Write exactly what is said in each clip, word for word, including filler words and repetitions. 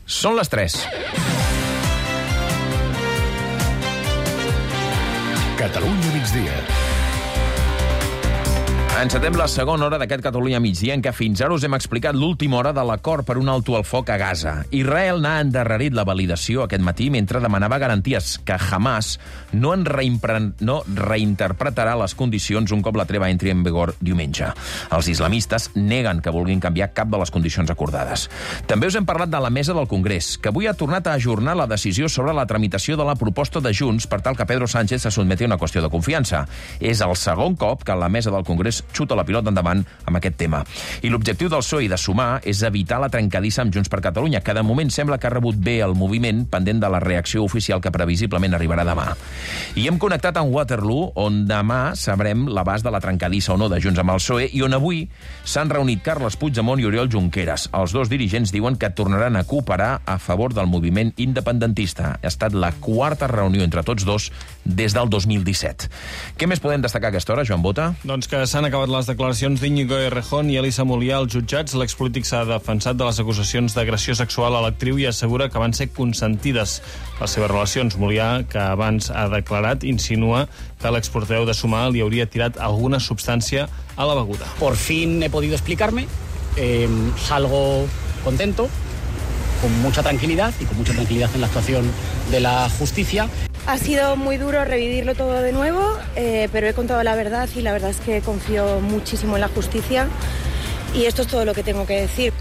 Són les tres. Catalunya migdia. Encetem la segona hora d'aquest Catalunya migdia, en què fins ara us hem explicat l'última hora de l'acord per un alto al foc a Gaza. Israel n'ha endarrerit la validació aquest matí mentre demanava garanties que Hamas no en reimpre... no reinterpretarà les condicions un cop la treva entri en vigor diumenge. Els islamistes neguen que vulguin canviar cap de les condicions acordades. També us hem parlat de la mesa del Congrés, que avui ha tornat a ajornar la decisió sobre la tramitació de la proposta de Junts per tal que Pedro Sánchez se sotmeti a una qüestió de confiança. És el segon cop que la mesa del Congrés xuta la pilota endavant amb aquest tema. I l'objectiu del P S O E i de Sumar és evitar la trencadissa amb Junts per Catalunya, que de moment sembla que ha rebut bé el moviment, pendent de la reacció oficial que previsiblement arribarà demà. I hem connectat amb Waterloo, on demà sabrem l'abast de la trencadissa o no de Junts amb el P S O E, i on avui s'han reunit Carles Puigdemont i Oriol Junqueras. Els dos dirigents diuen que tornaran a cooperar a favor del moviment independentista. Ha estat la quarta reunió entre tots dos des del dos mil disset. Què més podem destacar a aquesta hora, Joan Bota? Doncs que s'han acabat les declaracions d'Íñigo Errejón i Elisa Molià als jutjats. L'expolític s'ha defensat de les acusacions d'agressió sexual a l'actriu i assegura que van ser consentides les seves relacions. Molià, que abans ha declarat, insinua que l'exportaveu de Sumar li hauria tirat alguna substància a la beguda. Por fin he podido explicarme, eh, salgo contento, con mucha tranquilidad y con mucha tranquilidad en la actuación de la justicia. Ha sido muy duro revivirlo todo de nuevo, eh, pero he contado la verdad y la verdad es que confío muchísimo en la justicia y esto es todo lo que tengo que decir.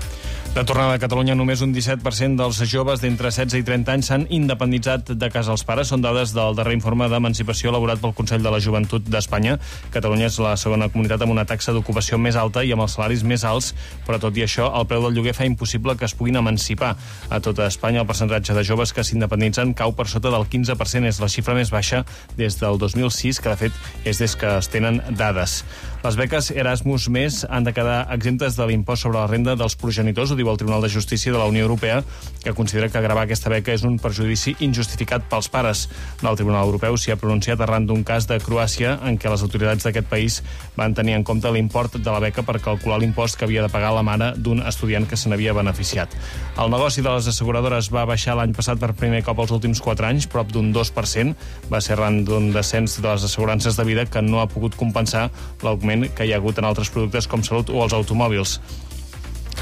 De tornada a Catalunya, només un disset per cent dels joves d'entre setze i trenta anys s'han independitzat de casa els pares. Són dades del darrer informe d'emancipació elaborat pel Consell de la Joventut d'Espanya. Catalunya és la segona comunitat amb una taxa d'ocupació més alta i amb els salaris més alts, però tot i això, el preu del lloguer fa impossible que es puguin emancipar. A tota Espanya, el percentatge de joves que s'independitzen cau per sota del quinze per cent. És la xifra més baixa des del dos mil sis, que de fet és des que es tenen dades. Les beques Erasmus Més han de quedar exemptes de l'impost sobre la renda dels progenitors, ho diu el Tribunal de Justícia de la Unió Europea, que considera que gravar aquesta beca és un perjudici injustificat pels pares. El Tribunal Europeu s'hi ha pronunciat arran d'un cas de Croàcia en què les autoritats d'aquest país van tenir en compte l'import de la beca per calcular l'impost que havia de pagar la mare d'un estudiant que se n'havia beneficiat. El negoci de les asseguradores va baixar l'any passat per primer cop els últims quatre anys, prop d'un dos per cent. Va ser arran d'un descens de les assegurances de vida que no ha pogut compensar l'augment que hi ha hagut en altres productes com salut o els automòbils.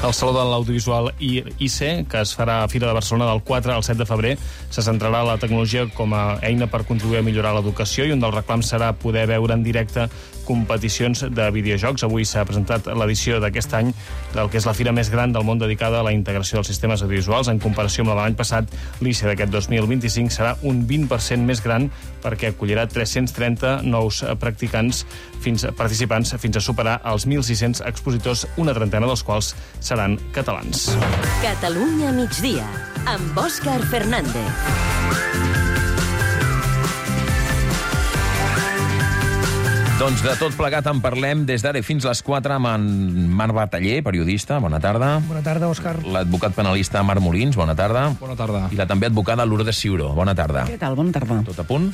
El Saló de l'Audiovisual I C, que es farà a Fira de Barcelona del quatre al set de febrer, se centrarà la tecnologia com a eina per contribuir a millorar l'educació i un dels reclams serà poder veure en directe competicions de videojocs. Avui s'ha presentat l'edició d'aquest any del que és la fira més gran del món dedicada a la integració dels sistemes audiovisuals. En comparació amb la de l'any passat, l'I C d'aquest dos mil vint-i-cinc serà un vint per cent més gran perquè acollirà tres-cents trenta nous practicants fins participants fins a superar els mil sis-cents expositors, una trentena dels quals seran catalans. Catalunya migdia, amb Òscar Fernández. Doncs de tot plegat en parlem des d'ara fins les quatre amb en Marc Bataller, periodista. Bona tarda. Bona tarda, Òscar. L'advocat penalista Marc Molins. Bona tarda. Bona tarda. I la també advocada Lourdes Ciuró. Bona tarda. Què tal? Bona tarda. Tot a punt?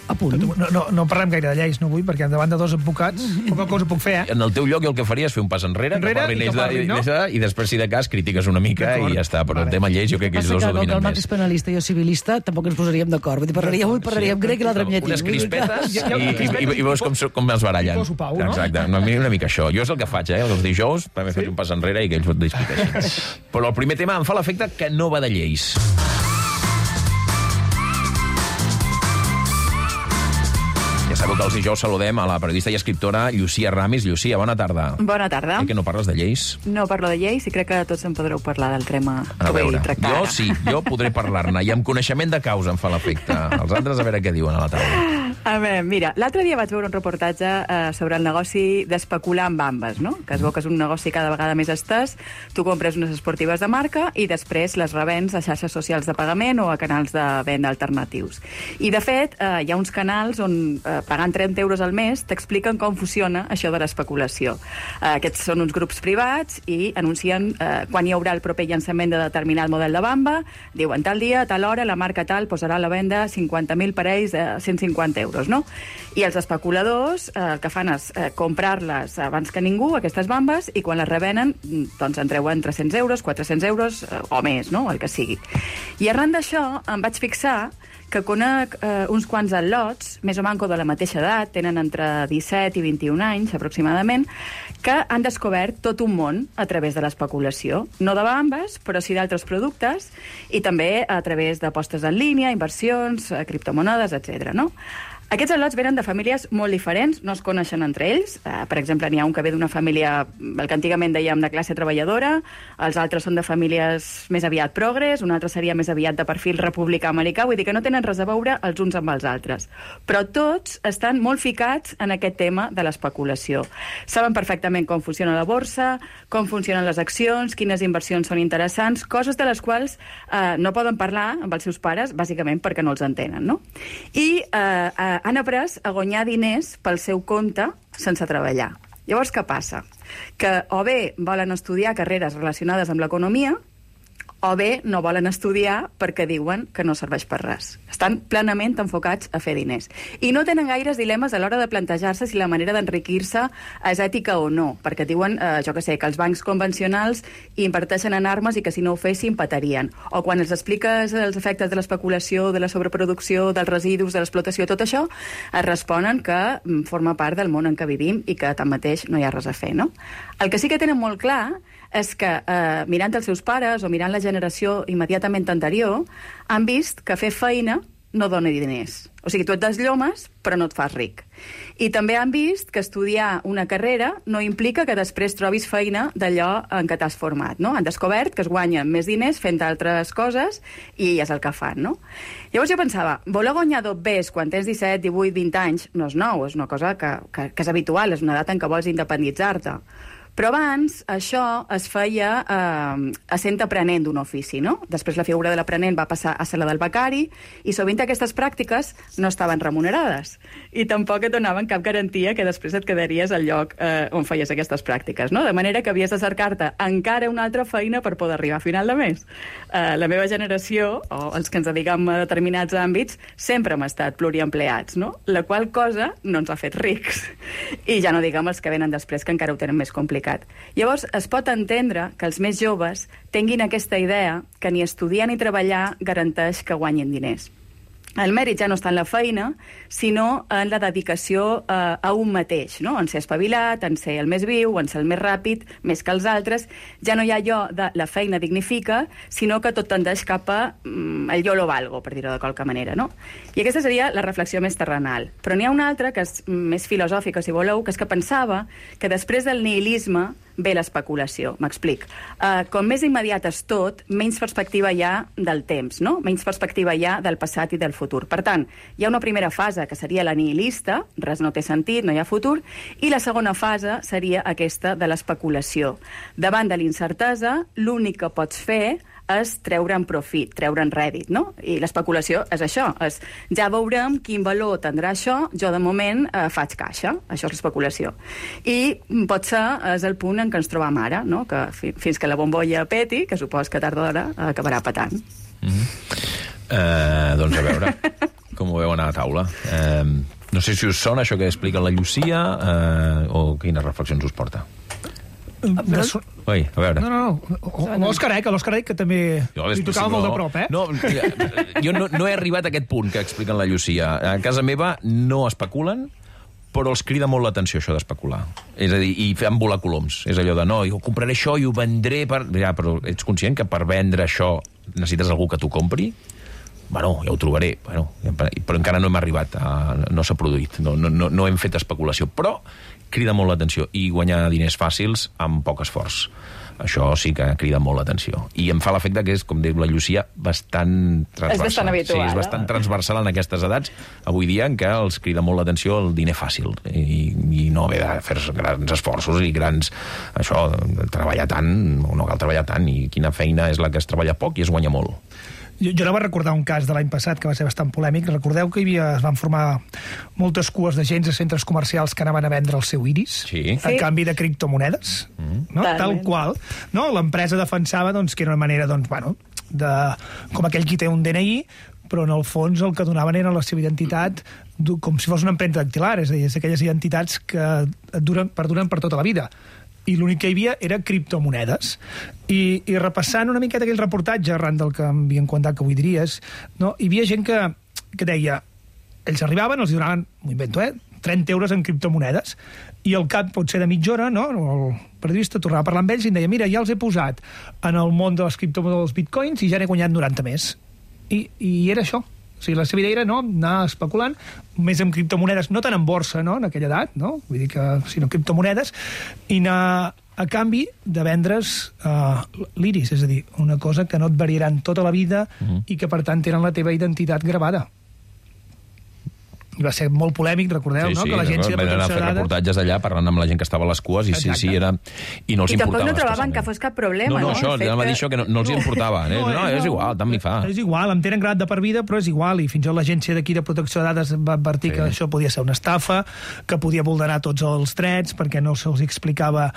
A punt. No, no, no parlem gaire de lleis, no vull, perquè davant de dos advocats poca cosa puc fer, eh? En el teu lloc jo el que faria és fer un pas enrere, enrere que parli i, que parli, no? de, i després, si de cas, critiques una mica i ja està. Però vale. El tema lleis jo crec que ells dos ho dominen més. El Marc més. és penalista i jo civilista, tampoc ens posaríem d'acord. Vull dir, parlaríem, sí, parlaríem grec i l'altre en llatí. Unes crispetes i, i, i, i veus com, com els barallen. I poso pau, no? Exacte, una, una mica això. Jo és el que faig, eh? Els dijous, també sí? Faig un pas enrere i que ells ho discuteixin. Però el primer tema em fa l'efecte que no va de lleis. Sabeu que els dijous saludem a la periodista i escriptora Llucia Ramis. Llucia, bona tarda. Bona tarda. Eh, que no parles de lleis? No parlo de lleis i crec que tots en podreu parlar del tema que vull tractar. Jo sí, jo podré parlar-ne i amb coneixement de causa em fa l'efecte. Els altres a veure què diuen a la taula. A veure, mira, l'altre dia vaig veure un reportatge eh, sobre el negoci d'especular amb ambes, no? Que es veu que és un negoci cada vegada més estès. Tu compres unes esportives de marca i després les revens a xarxes socials de pagament o a canals de venda alternatius. I, de fet, eh, hi ha uns canals on, eh, pagant trenta euros al mes, t'expliquen com funciona això de l'especulació. Eh, aquests són uns grups privats i anuncien eh, quan hi haurà el proper llançament de determinat model de bamba. Diuen, tal dia, a tal hora, la marca tal posarà a la venda cinquanta mil parells a cent cinquanta euros. especuladors, no? I els especuladors eh, el que fan és eh, comprar-les abans que ningú, aquestes bambes, i quan les revenen, doncs en treuen tres-cents euros, quatre-cents euros eh, o més, no? El que sigui. I arran d'això em vaig fixar que conec eh, uns quants al·lots, més o manco de la mateixa edat, tenen entre disset i vint-i-un anys, aproximadament, que han descobert tot un món a través de l'especulació. No de bambes, però sí d'altres productes, i també a través d'apostes en línia, inversions, eh, criptomonedes, etcètera, no? Aquests al·lots venen de famílies molt diferents, no es coneixen entre ells. Uh, per exemple, n'hi ha un que ve d'una família, el que antigament dèiem de classe treballadora, els altres són de famílies més aviat progres, un altre seria més aviat de perfil republicà americà, vull dir que no tenen res a veure els uns amb els altres. Però tots estan molt ficats en aquest tema de l'especulació. Saben perfectament com funciona la borsa, com funcionen les accions, quines inversions són interessants, coses de les quals uh, no poden parlar amb els seus pares, bàsicament perquè no els entenen, no? I uh, uh, han après a guanyar diners pel seu compte sense treballar. Llavors, què passa? Que o bé volen estudiar carreres relacionades amb l'economia, o bé no volen estudiar perquè diuen que no serveix per res. Estan plenament enfocats a fer diners. I no tenen gaires dilemes a l'hora de plantejar-se si la manera d'enriquir-se és ètica o no, perquè diuen, eh, jo que sé, que els bancs convencionals inverteixen en armes i que si no ho fessin patarien. O quan els expliques els efectes de l'especulació, de la sobreproducció, dels residus, de l'explotació, tot això, es responen que forma part del món en què vivim i que tanmateix no hi ha res a fer, no? El que sí que tenen molt clar és que, eh, mirant els seus pares o mirant la generació immediatament anterior, han vist que fer feina no dona diners. O sigui, tu et desllomes, però no et fas ric. I també han vist que estudiar una carrera no implica que després trobis feina d'allò en què t'has format, no? Han descobert que es guanyen més diners fent altres coses i és el que fan, no? Llavors jo pensava, voler guanyar dobbers quan tens disset, divuit, vint anys no és nou, és una cosa que, que, que és habitual, és una edat en què vols independitzar-te. Però abans això es feia eh, essent aprenent d'un ofici, no? Després la figura de l'aprenent va passar a ser la del becari i sovint aquestes pràctiques no estaven remunerades i tampoc et donaven cap garantia que després et quedaries al lloc eh, on feies aquestes pràctiques, no? De manera que havies de cercar-te encara una altra feina per poder arribar a final de mes. Eh, la meva generació, o els que ens dediquem a determinats àmbits, sempre hem estat pluriempleats, no? La qual cosa no ens ha fet rics. I ja no diguem els que venen després, que encara ho tenen més complicat. Llavors, es pot entendre que els més joves tinguin aquesta idea que ni estudiar ni treballar garanteix que guanyin diners. El mèrit ja no està en la feina, sinó en la dedicació eh, a un mateix, no? En ser espavilat, en ser el més viu, en ser el més ràpid, més que els altres. Ja no hi ha allò de la feina dignifica, sinó que tot tendeix cap a mm, el yo lo valgo, per dir-ho de qualque manera, no? I aquesta seria la reflexió més terrenal. Però n'hi ha una altra, que és més filosòfica, si voleu, que és que pensava que després del nihilisme ve l'especulació. M'explic. Uh, com més immediat és tot, menys perspectiva hi ha del temps, no? Menys perspectiva hi ha del passat i del futur. Per tant, hi ha una primera fase que seria la nihilista, res no té sentit, no hi ha futur, i la segona fase seria aquesta de l'especulació. Davant de l'incertesa, l'únic que pots fer és treure'n profit, treure'n rèdit, no? I l'especulació és això, és ja veurem quin valor tindrà això, jo de moment eh, faig caixa, això és l'especulació. I potser és el punt en què ens trobam ara, no? Que fi, fins que la bombolla peti, que supos que tard o d'hora acabarà petant. Mm-hmm. uh, doncs a veure com ho veuen a la taula. Uh, no sé si us sona això que explica la Llucia uh, o quines reflexions us porta. Però... Ui, a veure. No, no, no. L'Òscar Eck, l'Òscar Eck, que també li tocava molt de prop, eh? No, jo no, no he arribat a aquest punt que expliquen la Llucia. A casa meva no especulen, però els crida molt l'atenció això d'especular. És a dir, i fan volar coloms. És allò de, no, jo compraré això i ho vendré per... Ja, però ets conscient que per vendre això necessites algú que t'ho compri? Bueno, ja ho trobaré. Bueno, però encara no hem arribat, a... no s'ha produït. No, no, no hem fet especulació. Però crida molt l'atenció. I guanyar diners fàcils amb poc esforç. Això sí que crida molt l'atenció. I em fa l'efecte que és, com diu la Llucia, bastant transversal. És bastant habitual. Sí, és bastant no? transversal en aquestes edats, avui dia, en què els crida molt l'atenció el diner fàcil. I, i no haver de fer grans esforços i grans... Això, treballar tant, no cal treballar tant, i quina feina és la que es treballa poc i es guanya molt. Jo, jo anava a recordar un cas de l'any passat que va ser bastant polèmic. Recordeu que hi havia, es van formar moltes cues de gens a centres comercials que anaven a vendre el seu iris sí. a sí. canvi de criptomonedes, mm. no? Tal qual. No? L'empresa defensava doncs, que era una manera, doncs, bueno, de, com aquell qui té un D N I, però en el fons el que donaven era la seva identitat com si fos una empremta dactilar, és a dir, és aquelles identitats que et duren, perduren per tota la vida. I l'únic que hi havia era criptomonedes. I, i repassant una miqueta aquell reportatge, arran del que m'havien contat que avui diries, no? Hi havia gent que, que deia, ells arribaven, els donaven, m'ho invento, eh, trenta euros en criptomonedes, i al cap, potser de mitja hora, no? El periodista tornava a parlar amb ells i em deia, mira, ja els he posat en el món de les criptomonedes dels bitcoins i ja n'he guanyat noranta més. I, i era això. O sigui, la seva idea era no, anar especulant més amb criptomonedes, no tant en borsa, no?, en aquella edat, no? Vull dir que, sinó criptomonedes, i anar a canvi de vendre's uh, l'iris, és a dir, una cosa que no et variaran tota la vida mm-hmm. i que, per tant, tenen la teva identitat gravada. I va ser molt polèmic, recordeu, sí, no? Sí, que l'Agència de Protecció de Dades... reportatges allà parlant amb la gent que estava a les cues i Exacte. sí, sí, era... I no els I importava. I tampoc no trobaven que fos cap problema, no? No, no, això, no? ja m'ha dit això, que no, no els no, importava. Eh? No, no, és igual, tant m'hi fa. És igual, em tenen gravat de per vida, però és igual, i fins i tot l'Agència d'aquí de Protecció de Dades va advertir sí. que això podia ser una estafa, que podia vulnerar tots els drets, perquè no se'ls explicava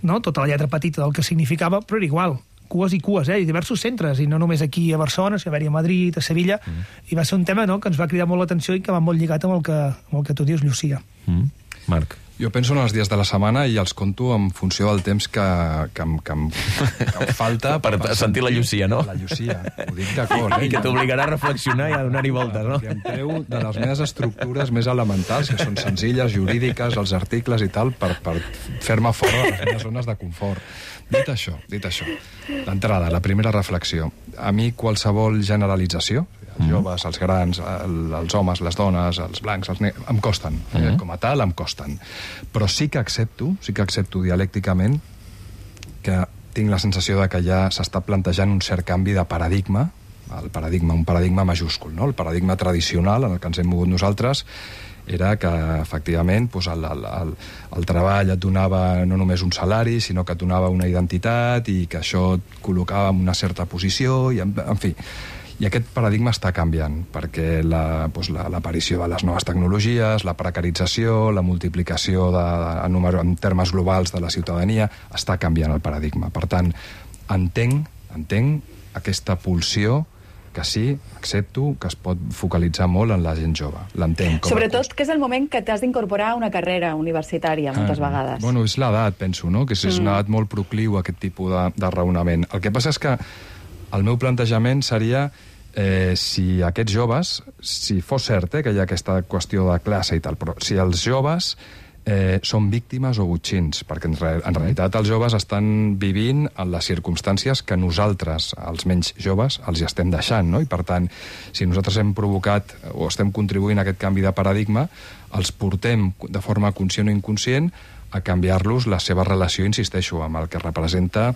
no, tota la lletra petita del que significava, però era igual. Cues i cues, eh? I diversos centres, i no només aquí a Barcelona, sinó a Madrid, a Sevilla, mm. i va ser un tema no, que ens va cridar molt l'atenció i que va molt lligat amb el que, amb el que tu dius, Llucia. Mm. Marc. Jo penso en els dies de la setmana i els conto en funció del temps que, que, em, que, em, que em falta... per, per sentir la Llucia, no? La Llucia, ho dic d'acord. Eh? I que t'obligarà a reflexionar i a donar-hi voltes, no? I em treu de les meves estructures més elementals, que són senzilles, jurídiques, els articles i tal, per, per fer-me fora de les meves zones de confort. Dit això, dit això, d'entrada, la primera reflexió. A mi qualsevol generalització, els joves, els grans, el, els homes, les dones, els blancs, els negres, em costen. Uh -huh. Com a tal, em costen. Però sí que accepto, sí que accepto dialècticament que tinc la sensació de que ja s'està plantejant un cert canvi de paradigma, el paradigma, un paradigma majúscul, no? El paradigma tradicional en el que ens hem mogut nosaltres era que, efectivament, doncs el, el, el, el treball et donava no només un salari, sinó que et donava una identitat i que això et col·locava en una certa posició, i en, en fi. I aquest paradigma està canviant, perquè la, doncs la, l'aparició de les noves tecnologies, la precarització, la multiplicació de, en, número, en termes globals de la ciutadania, està canviant el paradigma. Per tant, entenc, entenc aquesta pulsió que sí, accepto, que es pot focalitzar molt en la gent jove. L'entenc. Sobretot que és el moment que t'has d'incorporar a una carrera universitària, moltes ah, vegades. Bueno, és l'edat, penso, no? Que és, és una edat molt procliu a aquest tipus de, de raonament. El que passa és que el meu plantejament seria eh, si aquests joves, si fos cert eh, que hi ha aquesta qüestió de classe i tal, però si els joves eh, són víctimes o botxins, perquè en, re, en realitat els joves estan vivint en les circumstàncies que nosaltres, els menys joves, els hi estem deixant, no? I per tant, si nosaltres hem provocat o estem contribuint a aquest canvi de paradigma, els portem de forma conscient o inconscient a canviar-los la seva relació, insisteixo, amb el que representa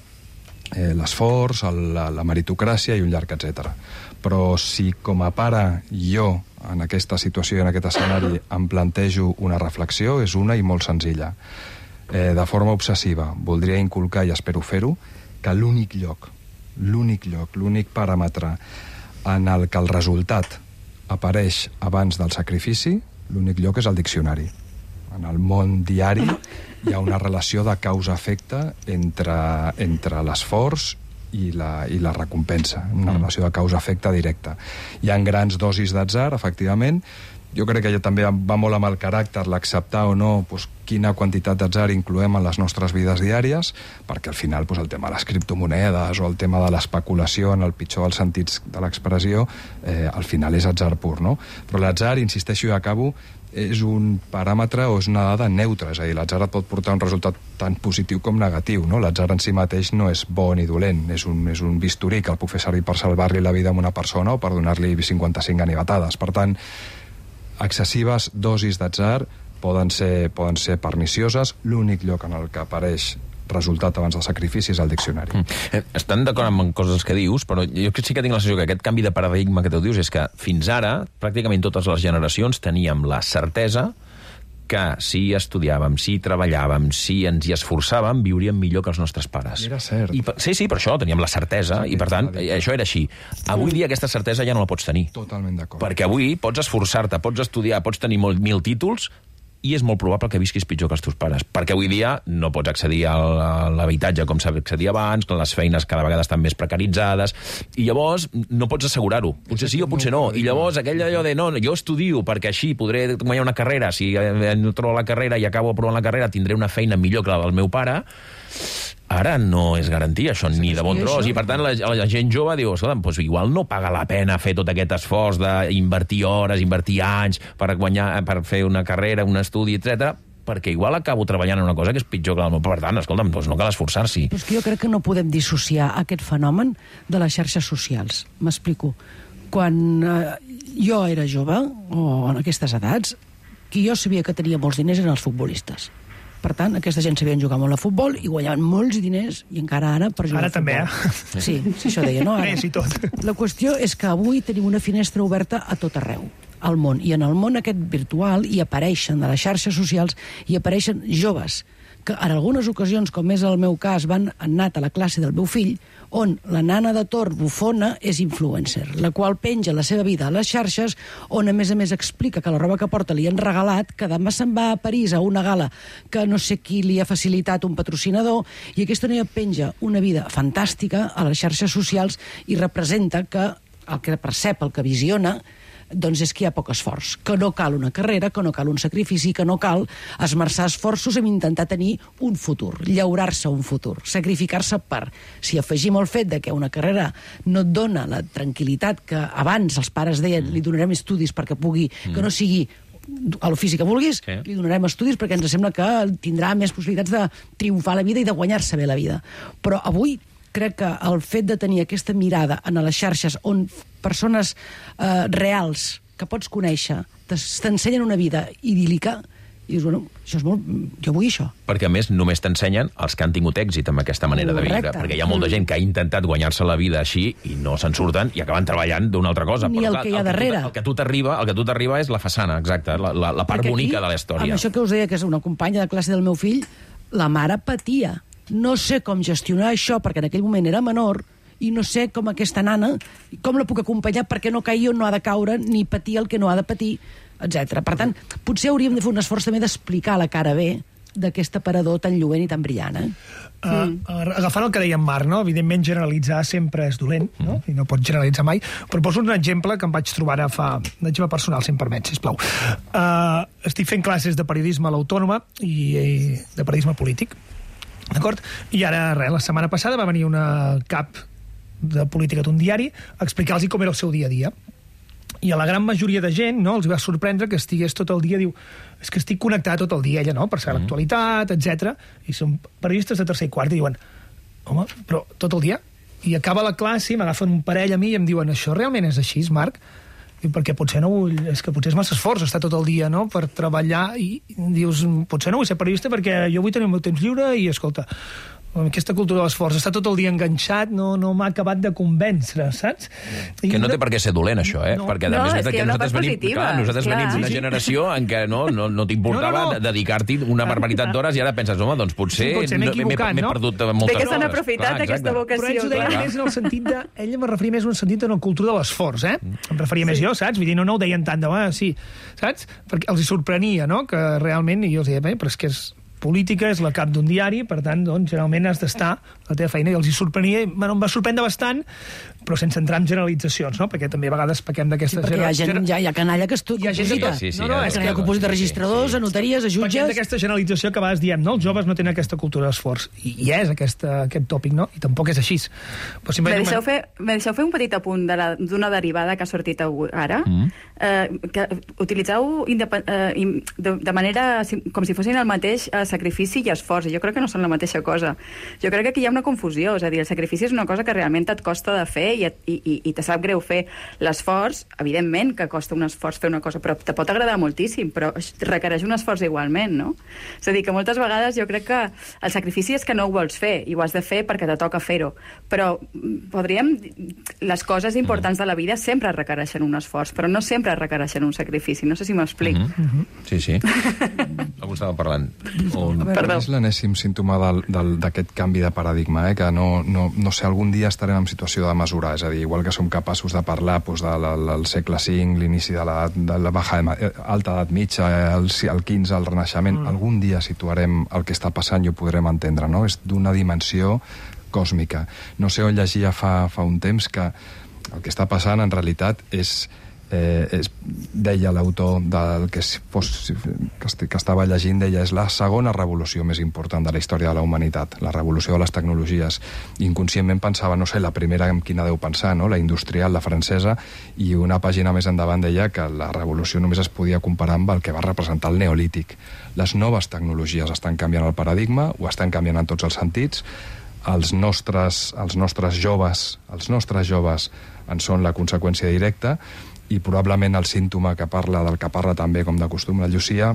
eh, l'esforç, la, la meritocràcia i un llarg etcètera. Però si com a pare jo en aquesta situació i en aquest escenari em plantejo una reflexió, és una i molt senzilla. Eh, de forma obsessiva, voldria inculcar, i espero fer-ho, que l'únic lloc, l'únic lloc, l'únic paràmetre en el que el resultat apareix abans del sacrifici, l'únic lloc és el diccionari. En el món diari hi ha una relació de causa-efecte entre, entre l'esforç i la, i la recompensa, una relació de causa-efecte directa. Hi ha grans dosis d'atzar, efectivament. Jo crec que ja també va molt amb el caràcter, l'acceptar o no doncs, quina quantitat d'atzar incloem en les nostres vides diàries, perquè al final doncs, el tema de les criptomonedes o el tema de l'especulació, en el pitjor dels sentits de l'expressió, eh, al final és atzar pur, no? Però l'atzar, insisteixo i acabo, és un paràmetre o és una dada neutra, és a dir, l'atzar et pot portar un resultat tant positiu com negatiu, no? L'atzar en si mateix no és bo ni dolent, és un, és un bisturí que el puc fer servir per salvar-li la vida a una persona o per donar-li cinquanta-cinc ganivetades. Per tant, excessives dosis d'atzar poden ser, poden ser pernicioses. L'únic lloc en el que apareix resultat abans del sacrifici és el diccionari. Mm. Estan d'acord amb coses que dius, però jo sí que tinc la sensació que aquest canvi de paradigma que tu dius és que fins ara, pràcticament totes les generacions teníem la certesa que si estudiàvem, si treballàvem, si ens hi esforçàvem, viuríem millor que els nostres pares. I era cert. I, sí, sí, per això teníem la certesa, sí, i per tant, això era així. Avui dia aquesta certesa ja no la pots tenir. Totalment d'acord. Perquè avui pots esforçar-te, pots estudiar, pots tenir molt, mil títols, i és molt probable que visquis pitjor que els teus pares, perquè avui dia no pots accedir a l'habitatge com s'accedia abans, que les feines cada vegada estan més precaritzades, i llavors no pots assegurar-ho. Potser sí o potser no. I llavors aquell allò de no, jo estudio perquè així podré guanyar una carrera, si no trobo la carrera i acabo aprovant la carrera tindré una feina millor que la del meu pare. Ara no és garantia, això, ni de bon tros. I, per tant, la, la gent jove diu, escolta, doncs igual no paga la pena fer tot aquest esforç d'invertir hores, invertir anys per guanyar, per fer una carrera, un estudi, etcètera, perquè igual acabo treballant en una cosa que és pitjor que la meva. Per tant, escolta'm, doncs no cal esforçar-s'hi. Però és que jo crec que no podem dissociar aquest fenomen de les xarxes socials. M'explico. Quan eh, jo era jove, o en aquestes edats, qui jo sabia que tenia molts diners eren els futbolistes. Per tant, aquesta gent sabien jugar molt a futbol i guanyaven molts diners, i encara ara per jugar ara a futbol. Ara també, eh? Sí, sí, això deia, no? Ara. Més i tot. La qüestió és que avui tenim una finestra oberta a tot arreu, al món. I en el món aquest virtual hi apareixen, a les xarxes socials, hi apareixen joves que en algunes ocasions, com és el meu cas, van anat a la classe del meu fill, on la nana de Tor bufona és influencer, la qual penja la seva vida a les xarxes, on a més a més explica que la roba que porta li han regalat, que demà se'n va a París a una gala que no sé qui li ha facilitat un patrocinador, i aquesta noia penja una vida fantàstica a les xarxes socials i representa que el que percep, el que visiona, doncs és que hi ha poc esforç, que no cal una carrera, que no cal un sacrifici, que no cal esmerçar esforços en intentar tenir un futur, llaurar-se un futur, sacrificar-se per. Si afegim el fet de que una carrera no et dona la tranquil·litat que abans els pares deien li donarem estudis perquè pugui, que no sigui a l'ofici que vulguis, sí. Li donarem estudis perquè ens sembla que tindrà més possibilitats de triomfar la vida i de guanyar-se bé la vida. Però avui crec que el fet de tenir aquesta mirada en les xarxes on persones eh, reals que pots conèixer t'ensenyen una vida idíl·lica, i dius, bueno, això és molt... jo vull això. Perquè, a més, només t'ensenyen els que han tingut èxit amb aquesta manera Correcte. de viure. Perquè hi ha molta gent que ha intentat guanyar-se la vida així i no se'n surten i acaben treballant d'una altra cosa. Ni Però, el clar, que hi ha el darrere. El que tu t'arriba el que tu t'arriba és la façana, exacte, la, la, la part Perquè bonica aquí, de la història. Amb això que us deia, que és una companya de classe del meu fill, la mare patia. No sé com gestionar això, perquè en aquell moment era menor, i no sé com aquesta nana, com la puc acompanyar perquè no caigui on no ha de caure, ni patir el que no ha de patir, etcètera. Per tant, potser hauríem de fer un esforç també d'explicar la cara B d'aquest aparador tan lluent i tan brillant, eh? Uh, agafant el que deia en Marc, no? Evidentment generalitzar sempre és dolent, no? I no pots generalitzar mai, però poso un exemple que em vaig trobar ara fa... un exemple personal, si em permet, sisplau. Uh, estic fent classes de periodisme a l'Autònoma i, i de periodisme polític, d'acord? I ara, res, la setmana passada va venir una cap de política d'un diari a explicar-los com era el seu dia a dia. I a la gran majoria de gent, no, els va sorprendre que estigués tot el dia, diu, és que estic connectat tot el dia, ella, no?, per saber mm. l'actualitat, etcètera. I són periodistes de tercer i quart i diuen, home, però tot el dia? I acaba la classe, m'agafen un parell a mi i em diuen, això realment és així, Marc? I perquè potser no vull... És que potser és massa esforç estar tot el dia, no?, per treballar, i dius, potser no vull ser periodista perquè jo vull tenir el meu temps lliure i, escolta, aquesta cultura de l'esforç, està tot el dia enganxat, no, no m'ha acabat de convèncer, saps? I que no té per què ser dolent, això, eh? No. Perquè, a No, més, és que hi ha una part venim, positiva, clar, nosaltres clar. venim d'una Sí, sí. generació en què no, no, no t'importava No, no, no. dedicar-t'hi una barbaritat d'hores i ara penses, home, doncs potser, Sí, potser m'he no- equivocat, m'he no? perdut moltes Bé que s'han hores. aprofitat Clar, d'aquesta exacte. vocació. Però ells ho deien clar. més en el sentit de... Ella me referia més en el sentit de la cultura de l'esforç, eh? Em referia més jo, saps? Vull dir, no, no ho deien tant de... Ah, sí, saps? Perquè els hi sorprenia, no?, que realment... I jo els deia, bé, però és que és política, és la cap d'un diari, per tant, doncs, generalment has d'estar a la teva feina, i els hi sorprenia, bueno, em va sorprendre bastant, però sense entrar en generalitzacions, no?, perquè també a vegades pequem d'aquesta... Sí, perquè hi ha, gent, hi ha, hi ha canalla que estu... Hi ha gent de tot. Sí, sí, no, no, ja, és que que hi ha composit de registradors, a notaries, a Perquè jutges... d'aquesta generalització que a vegades diem, no? Els joves no tenen aquesta cultura d'esforç. I, i és aquesta, aquest tòpic, no? I tampoc és així. Però Me simplement... deixeu, fer, me deixeu fer un petit apunt de la- d'una de derivada que ha sortit avui, ara. Mm. Eh, que utilitzeu indepen- eh, im- de, de manera sim- com si fossin el mateix eh, sacrifici i esforç. I jo crec que no són la mateixa cosa. Jo crec que aquí hi ha una confusió. És a dir, el sacrifici és una cosa que realment et costa de fer i, et, i, i, i te sap greu fer. L'esforç, evidentment que costa un esforç fer una cosa, però te pot agradar moltíssim, però requereix un esforç igualment, no? És a dir, que moltes vegades jo crec que el sacrifici és que no ho vols fer i ho has de fer perquè te toca fer-ho. Però mm, podríem... Les coses importants de la vida sempre requereixen un esforç, però no sempre requereixen un sacrifici. No sé si m'explic. Mm -hmm. Sí, sí. Algú estava parlant. O... Perdó. És l'enèsim símptoma del- del- d'aquest canvi de paradigma, eh? Que no, no, no sé, algun dia estarem en situació de mesurar cultura, és a dir, igual que som capaços de parlar doncs, de la, del segle cinc, l'inici de la, de la baja, alta edat mitja, el, el quinze, el Renaixement, mm. algun dia situarem el que està passant i ho podrem entendre, no? És d'una dimensió còsmica. No sé on llegia fa, fa un temps que el que està passant en realitat és Eh, és, deia l'autor del que, fos, que, est que estava llegint, deia, és la segona revolució més important de la història de la humanitat, la revolució de les tecnologies. Inconscientment pensava, no sé, la primera en quina deu pensar, no? La industrial, la francesa, i una pàgina més endavant deia que la revolució només es podia comparar amb el que va representar el neolític. Les noves tecnologies estan canviant el paradigma, ho estan canviant en tots els sentits, els nostres, els nostres joves, els nostres joves en són la conseqüència directa, i probablement el símptoma que parla, del que parla també, com de costum, la Llucia,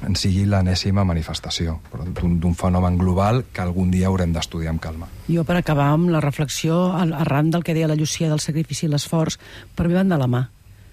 en sigui l'enèsima manifestació d'un fenomen global que algun dia haurem d'estudiar amb calma. Jo, per acabar amb la reflexió, arran del que deia la Llucia del sacrifici i l'esforç, per mi van de la mà.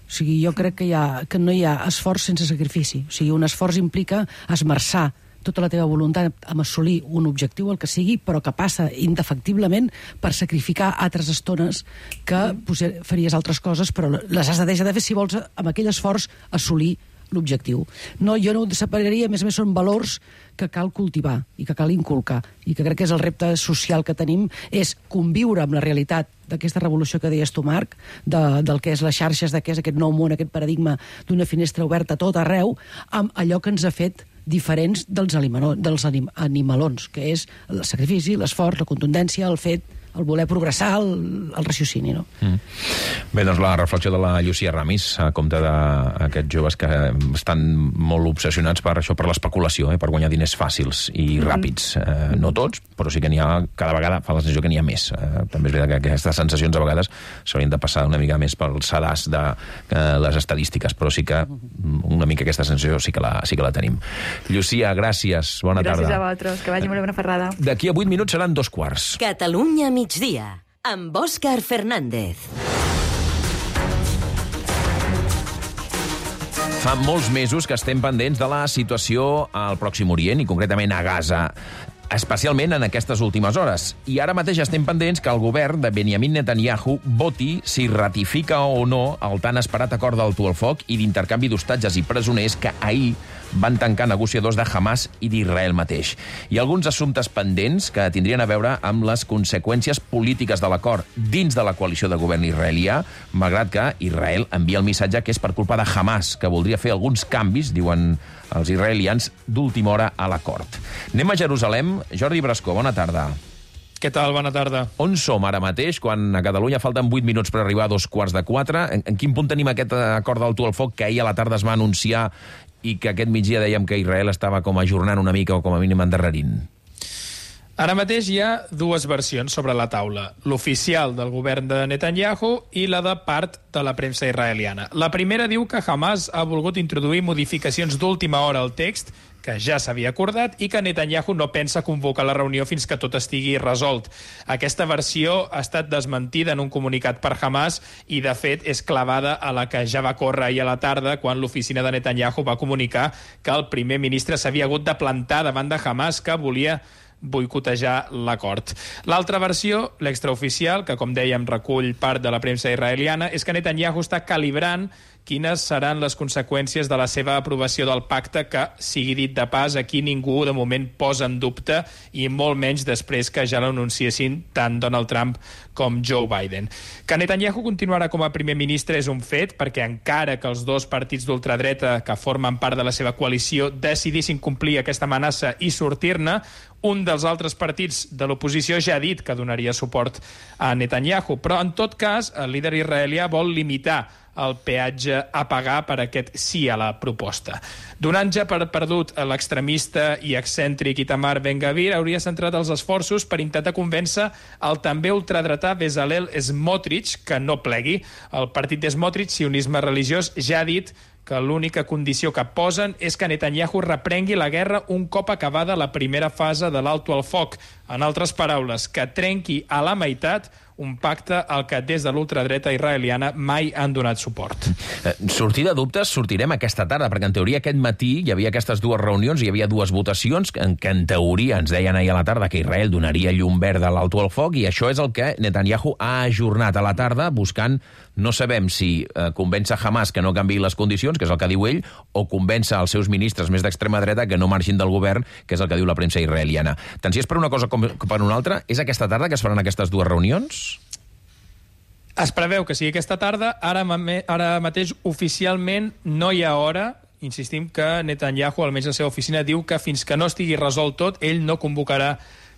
O sigui, jo crec que, hi ha, que no hi ha esforç sense sacrifici. O sigui, un esforç implica esmerçar tota la teva voluntat amb assolir un objectiu, el que sigui, però que passa indefectiblement per sacrificar altres estones que potser faries altres coses, però les has de deixar de fer si vols amb aquell esforç assolir l'objectiu. No, jo no ho separaria, a més a més són valors que cal cultivar i que cal inculcar, i que crec que és el repte social que tenim, és conviure amb la realitat d'aquesta revolució que deies tu, Marc, de, del que és les xarxes, de què és aquest nou món, aquest paradigma d'una finestra oberta a tot arreu, amb allò que ens ha fet diferents dels, dels anim animalons, que és el sacrifici, l'esforç, la contundència, el fet, el voler progressar, el, el raciocini, no? Mm. Bé, doncs la reflexió de la Llucia Ramis a compte d'aquests joves que estan molt obsessionats per això, per l'especulació, eh, per guanyar diners fàcils i mm. ràpids. Eh, no tots, però sí que n'hi ha, cada vegada fa la sensació que n'hi ha més. Eh, també és veritat que aquestes sensacions a vegades s'haurien de passar una mica més pel sedàs de eh, les estadístiques, però sí que una mica aquesta sensació sí que la, sí que la tenim. Llucia, gràcies, bona gràcies tarda. Gràcies a vosaltres, que vagi molt bé una ferrada. D'aquí a vuit minuts seran dos quarts. Catalunya migdia, amb Òscar Fernández. Fa molts mesos que estem pendents de la situació al Pròxim Orient i concretament a Gaza, especialment en aquestes últimes hores. I ara mateix estem pendents que el govern de Benjamin Netanyahu voti si ratifica o no el tan esperat acord d'alto al foc i d'intercanvi d'hostatges i presoners que ahir van tancar negociadors de Hamas i d'Israel mateix. Hi ha alguns assumptes pendents que tindrien a veure amb les conseqüències polítiques de l'acord dins de la coalició de govern israelià, malgrat que Israel envia el missatge que és per culpa de Hamas, que voldria fer alguns canvis, diuen els israelians, d'última hora a l'acord. Anem a Jerusalem. Jordi Brascó, bona tarda. Què tal? Bona tarda. On som ara mateix, quan a Catalunya falten vuit minuts per arribar a dos quarts de quatre? En, en quin punt tenim aquest acord d'alto al foc que ahir a la tarda es va anunciar i que aquest migdia dèiem que Israel estava com ajornant una mica o com a mínim endarrerint? Ara mateix hi ha dues versions sobre la taula, l'oficial del govern de Netanyahu i la de part de la premsa israeliana. La primera diu que Hamas ha volgut introduir modificacions d'última hora al text, que ja s'havia acordat, i que Netanyahu no pensa convocar la reunió fins que tot estigui resolt. Aquesta versió ha estat desmentida en un comunicat per Hamas i, de fet, és clavada a la que ja va córrer ahir a la tarda quan l'oficina de Netanyahu va comunicar que el primer ministre s'havia hagut de plantar davant de Hamas, que volia boicotejar l'acord. L'altra versió, l'extraoficial, que com dèiem recull part de la premsa israeliana, és que Netanyahu està calibrant quines seran les conseqüències de la seva aprovació del pacte, que, sigui dit de pas, aquí ningú de moment posa en dubte, i molt menys després que ja l'anunciessin tant Donald Trump com Joe Biden. Que Netanyahu continuarà com a primer ministre és un fet, perquè encara que els dos partits d'ultradreta que formen part de la seva coalició decidissin complir aquesta amenaça i sortir-ne, un dels altres partits de l'oposició ja ha dit que donaria suport a Netanyahu, però en tot cas el líder israelià vol limitar el peatge a pagar per aquest sí a la proposta. Donant ja per perdut l'extremista i excèntric Itamar Ben-Gvir, hauria centrat els esforços per intentar convèncer el també ultradretà Bezalel Smotrich que no plegui. El partit de Smotrich, sionisme religiós, ja ha dit que l'única condició que posen és que Netanyahu reprengui la guerra un cop acabada la primera fase de l'alto al foc. En altres paraules, que trenqui a la meitat un pacte al que des de l'ultradreta israeliana mai han donat suport. Sortir de dubtes sortirem aquesta tarda, perquè en teoria aquest matí hi havia aquestes dues reunions, hi havia dues votacions en què en teoria ens deien ahir a la tarda que Israel donaria llum verda a l'alto al foc, i això és el que Netanyahu ha ajornat a la tarda, buscant, no sabem si eh, convèncer Hamas que no canviï les condicions, que és el que diu ell, o convèncer els seus ministres més d'extrema dreta que no marxin del govern, que és el que diu la premsa israeliana. Tant si és per una cosa com per una altra, és aquesta tarda que es faran aquestes dues reunions? Es preveu que sigui aquesta tarda. Ara, ara mateix, oficialment, no hi ha hora. Insistim que Netanyahu, almenys la seva oficina, diu que fins que no estigui resolt tot, ell no convocarà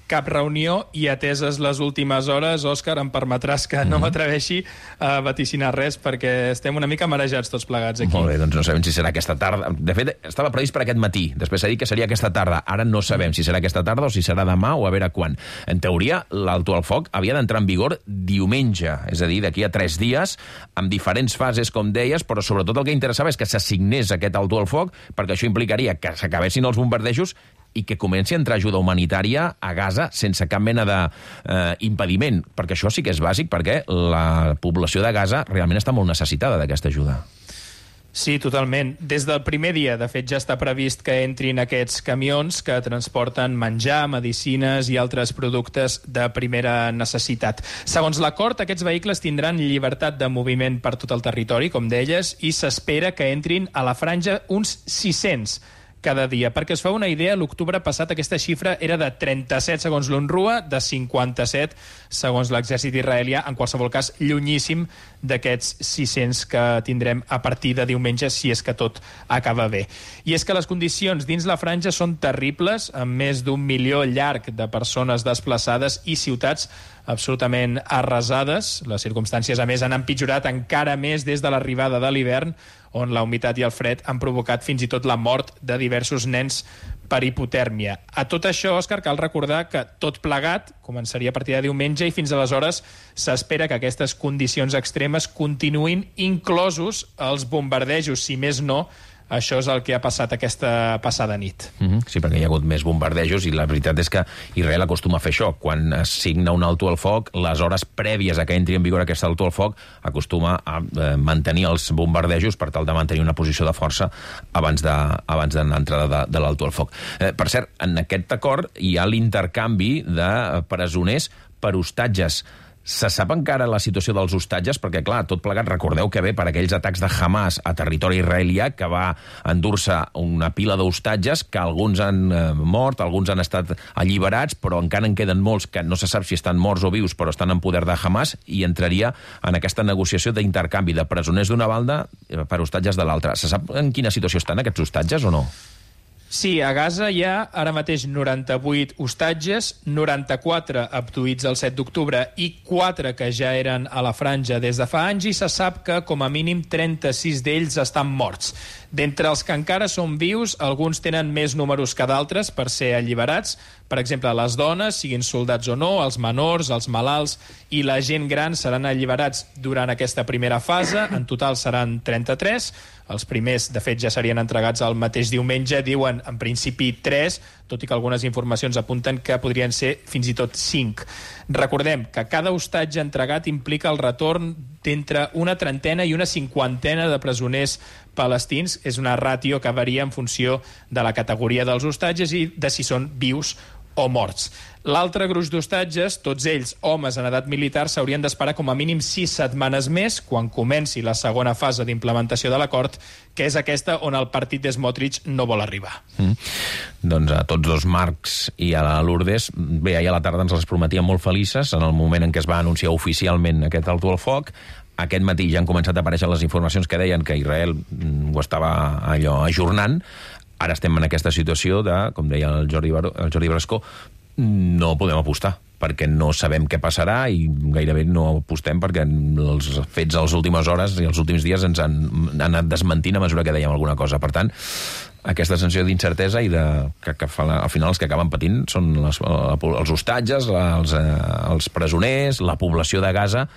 cap reunió, i ateses les últimes hores, Òscar, em permetràs que no m'atreveixi a vaticinar res, perquè estem una mica marejats tots plegats aquí. Molt bé, doncs no sabem si serà aquesta tarda. De fet, estava previst per aquest matí, després s'ha dit que seria aquesta tarda. Ara no sabem si serà aquesta tarda o si serà demà o a veure quan. En teoria, l'alto al foc havia d'entrar en vigor diumenge, és a dir, d'aquí a tres dies, amb diferents fases, com deies, però sobretot el que interessava és que s'assignés aquest alto al foc, perquè això implicaria que s'acabessin els bombardejos i que comenci a entrar ajuda humanitària a Gaza sense cap mena d'impediment, eh, perquè això sí que és bàsic, perquè la població de Gaza realment està molt necessitada d'aquesta ajuda. Sí, totalment. Des del primer dia, de fet, ja està previst que entrin aquests camions que transporten menjar, medicines i altres productes de primera necessitat. Segons l'acord, aquests vehicles tindran llibertat de moviment per tot el territori, com deies, i s'espera que entrin a la franja uns sis-cents cada dia. Perquè es fa una idea, l'octubre passat aquesta xifra era de trenta-set segons l'UNRWA, de cinquanta-set segons l'exèrcit israelià, en qualsevol cas llunyíssim d'aquests sis-cents que tindrem a partir de diumenge, si és que tot acaba bé. I és que les condicions dins la franja són terribles, amb més d'un milió llarg de persones desplaçades i ciutats absolutament arrasades. Les circumstàncies, a més, han empitjorat encara més des de l'arribada de l'hivern, on la humitat i el fred han provocat fins i tot la mort de diversos nens per hipotèrmia. A tot això, Òscar, cal recordar que tot plegat començaria a partir de diumenge i fins aleshores s'espera que aquestes condicions extremes continuïn, inclosos els bombardejos, si més no. Això és el que ha passat aquesta passada nit. Mm-hmm. Sí, perquè hi ha hagut més bombardejos i la veritat és que Israel acostuma a fer això. Quan es signa un alto al foc, les hores prèvies a que entri en vigor aquest alto al foc acostuma a eh, mantenir els bombardejos per tal de mantenir una posició de força abans de, abans de l'entrada de, de l'alto al foc. Eh, per cert, en aquest acord hi ha l'intercanvi de presoners per hostatges. Se sap encara la situació dels hostatges? Perquè, clar, tot plegat, recordeu que ve per aquells atacs de Hamas a territori israelià, que va endur-se una pila d'hostatges, que alguns han eh, mort, alguns han estat alliberats, però encara en queden molts que no se sap si estan morts o vius, però estan en poder de Hamas, i entraria en aquesta negociació d'intercanvi de presoners d'una banda per hostatges de l'altra. Se sap en quina situació estan aquests hostatges o no? Sí, a Gaza hi ha ara mateix noranta-vuit hostatges, noranta-quatre abduïts el set d'octubre i quatre que ja eren a la franja des de fa anys, i se sap que com a mínim trenta-sis d'ells estan morts. D'entre els que encara són vius, alguns tenen més números que d'altres per ser alliberats. Per exemple, les dones, siguin soldats o no, els menors, els malalts i la gent gran seran alliberats durant aquesta primera fase. En total seran trenta-tres. Els primers, de fet, ja serien entregats el mateix diumenge. Diuen, en principi, tres, tot i que algunes informacions apunten que podrien ser fins i tot cinc. Recordem que cada hostatge entregat implica el retorn d'entre una trentena i una cinquantena de presoners palestins. És una ràtio que varia en funció de la categoria dels hostatges i de si són vius o morts. L'altre gruix d'hostatges, tots ells homes en edat militar, s'haurien d'esperar com a mínim sis setmanes més, quan comenci la segona fase d'implementació de l'acord, que és aquesta on el partit de Smotrich no vol arribar. Mm. Doncs a tots dos, Marcs i a la Lourdes, bé, ahir a la tarda ens les prometien molt felices, en el moment en què es va anunciar oficialment aquest alto al foc. Aquest matí ja han començat a aparèixer les informacions que deien que Israel ho estava allò ajornant. Ara estem en aquesta situació de, com deia el Jordi, Bar el Jordi Brascó, no podem apostar, perquè no sabem què passarà i gairebé no apostem perquè els fets a les últimes hores i els últims dies ens han, han anat desmentint a mesura que dèiem alguna cosa. Per tant, aquesta sensació d'incertesa i de, que, que al final els que acaben patint són les, els hostatges, els, els presoners, la població de Gaza,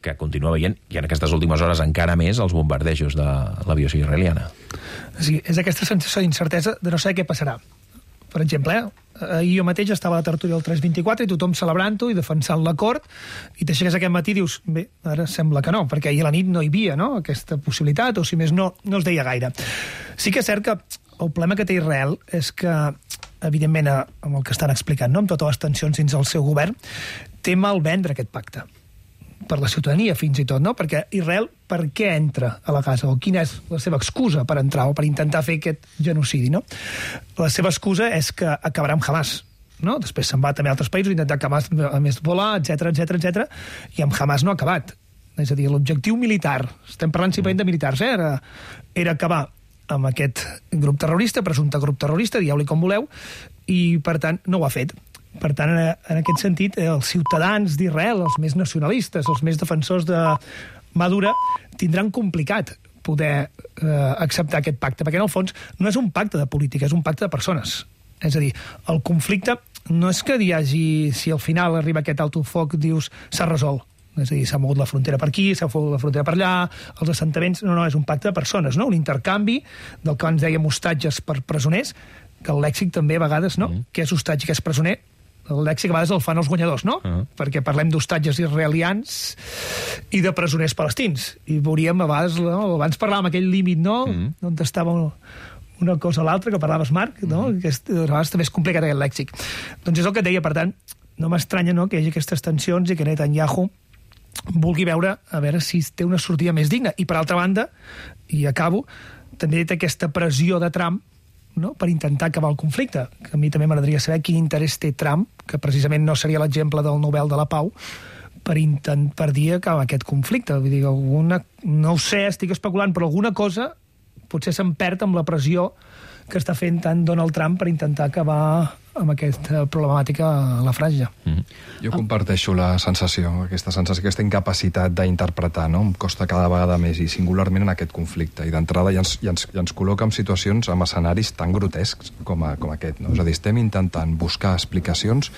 que continua veient, i en aquestes últimes hores encara més, els bombardejos de l'aviació israeliana. Sí, és aquesta sensació d'incertesa de no saber què passarà. Per exemple, eh, ahir jo mateix estava a la tertúlia del tres vint-i-quatre i tothom celebrant-ho i defensant l'acord, i t'aixeques aquest matí i dius, bé, ara sembla que no, perquè ahir a la nit no hi havia, no?, aquesta possibilitat, o si més no, no es deia gaire. Sí que és cert que el problema que té Israel és que, evidentment, amb el que estan explicant, no?, amb totes les tensions dins del seu govern, té mal vendre aquest pacte per la ciutadania, fins i tot, no? Perquè Israel, per què entra a la Gaza? O quina és la seva excusa per entrar o per intentar fer aquest genocidi, no? La seva excusa és que acabarà amb Hamas, no? Després se'n va també a altres països, intentar acabar amb Hezbollah, etcètera, etcètera, etcètera, i amb Hamas no ha acabat. És a dir, l'objectiu militar, estem parlant simplement de militars, eh? era, era acabar amb aquest grup terrorista, presumpte grup terrorista, dieu-li com voleu, i, per tant, no ho ha fet. Per tant, en aquest sentit, els ciutadans d'Israel, els més nacionalistes, els més defensors de Madura, tindran complicat poder eh, acceptar aquest pacte, perquè en el fons no és un pacte de política, és un pacte de persones. És a dir, el conflicte no és que hi hagi, si al final arriba aquest alto foc, dius, s'ha resolt. És a dir, s'ha mogut la frontera per aquí, s'ha mogut la frontera per allà, els assentaments... No, no, és un pacte de persones, no? Un intercanvi del que abans dèiem hostatges per presoners, que el lèxic també a vegades, no? Mm. Què és hostatge, què és presoner? El lèxic a vegades el fan els guanyadors, no? Uh-huh. Perquè parlem d'hostatges israelians i de presoners palestins. I veuríem a vegades... No? Abans parlàvem aquell límit, no? Uh-huh. On estava una cosa a l'altra, que parlaves, Marc, no? Uh-huh. Que és, a vegades també és complicat aquest lèxic. Doncs és el que et deia, per tant, no m'estranya, no?, que hi hagi aquestes tensions i que Netanyahu vulgui veure a veure si té una sortida més digna. I, per altra banda, i acabo, també té aquesta pressió de Trump, no?, per intentar acabar el conflicte. Que a mi també m'agradaria saber quin interès té Trump, que precisament no seria l'exemple del Nobel de la Pau, per, intent, per dir acabar aquest conflicte. Vull dir, alguna, no ho sé, estic especulant, però alguna cosa potser se'n perd amb la pressió que està fent tant Donald Trump per intentar acabar amb aquesta problemàtica a la franja. Mm-hmm. Jo comparteixo la sensació, aquesta sensació, aquesta incapacitat d'interpretar, no? Em costa cada vegada més, i singularment en aquest conflicte. I d'entrada ja ens, ja ens, ja ens col·loca en situacions, en escenaris tan grotescs com, a, com aquest, no? És a dir, estem intentant buscar explicacions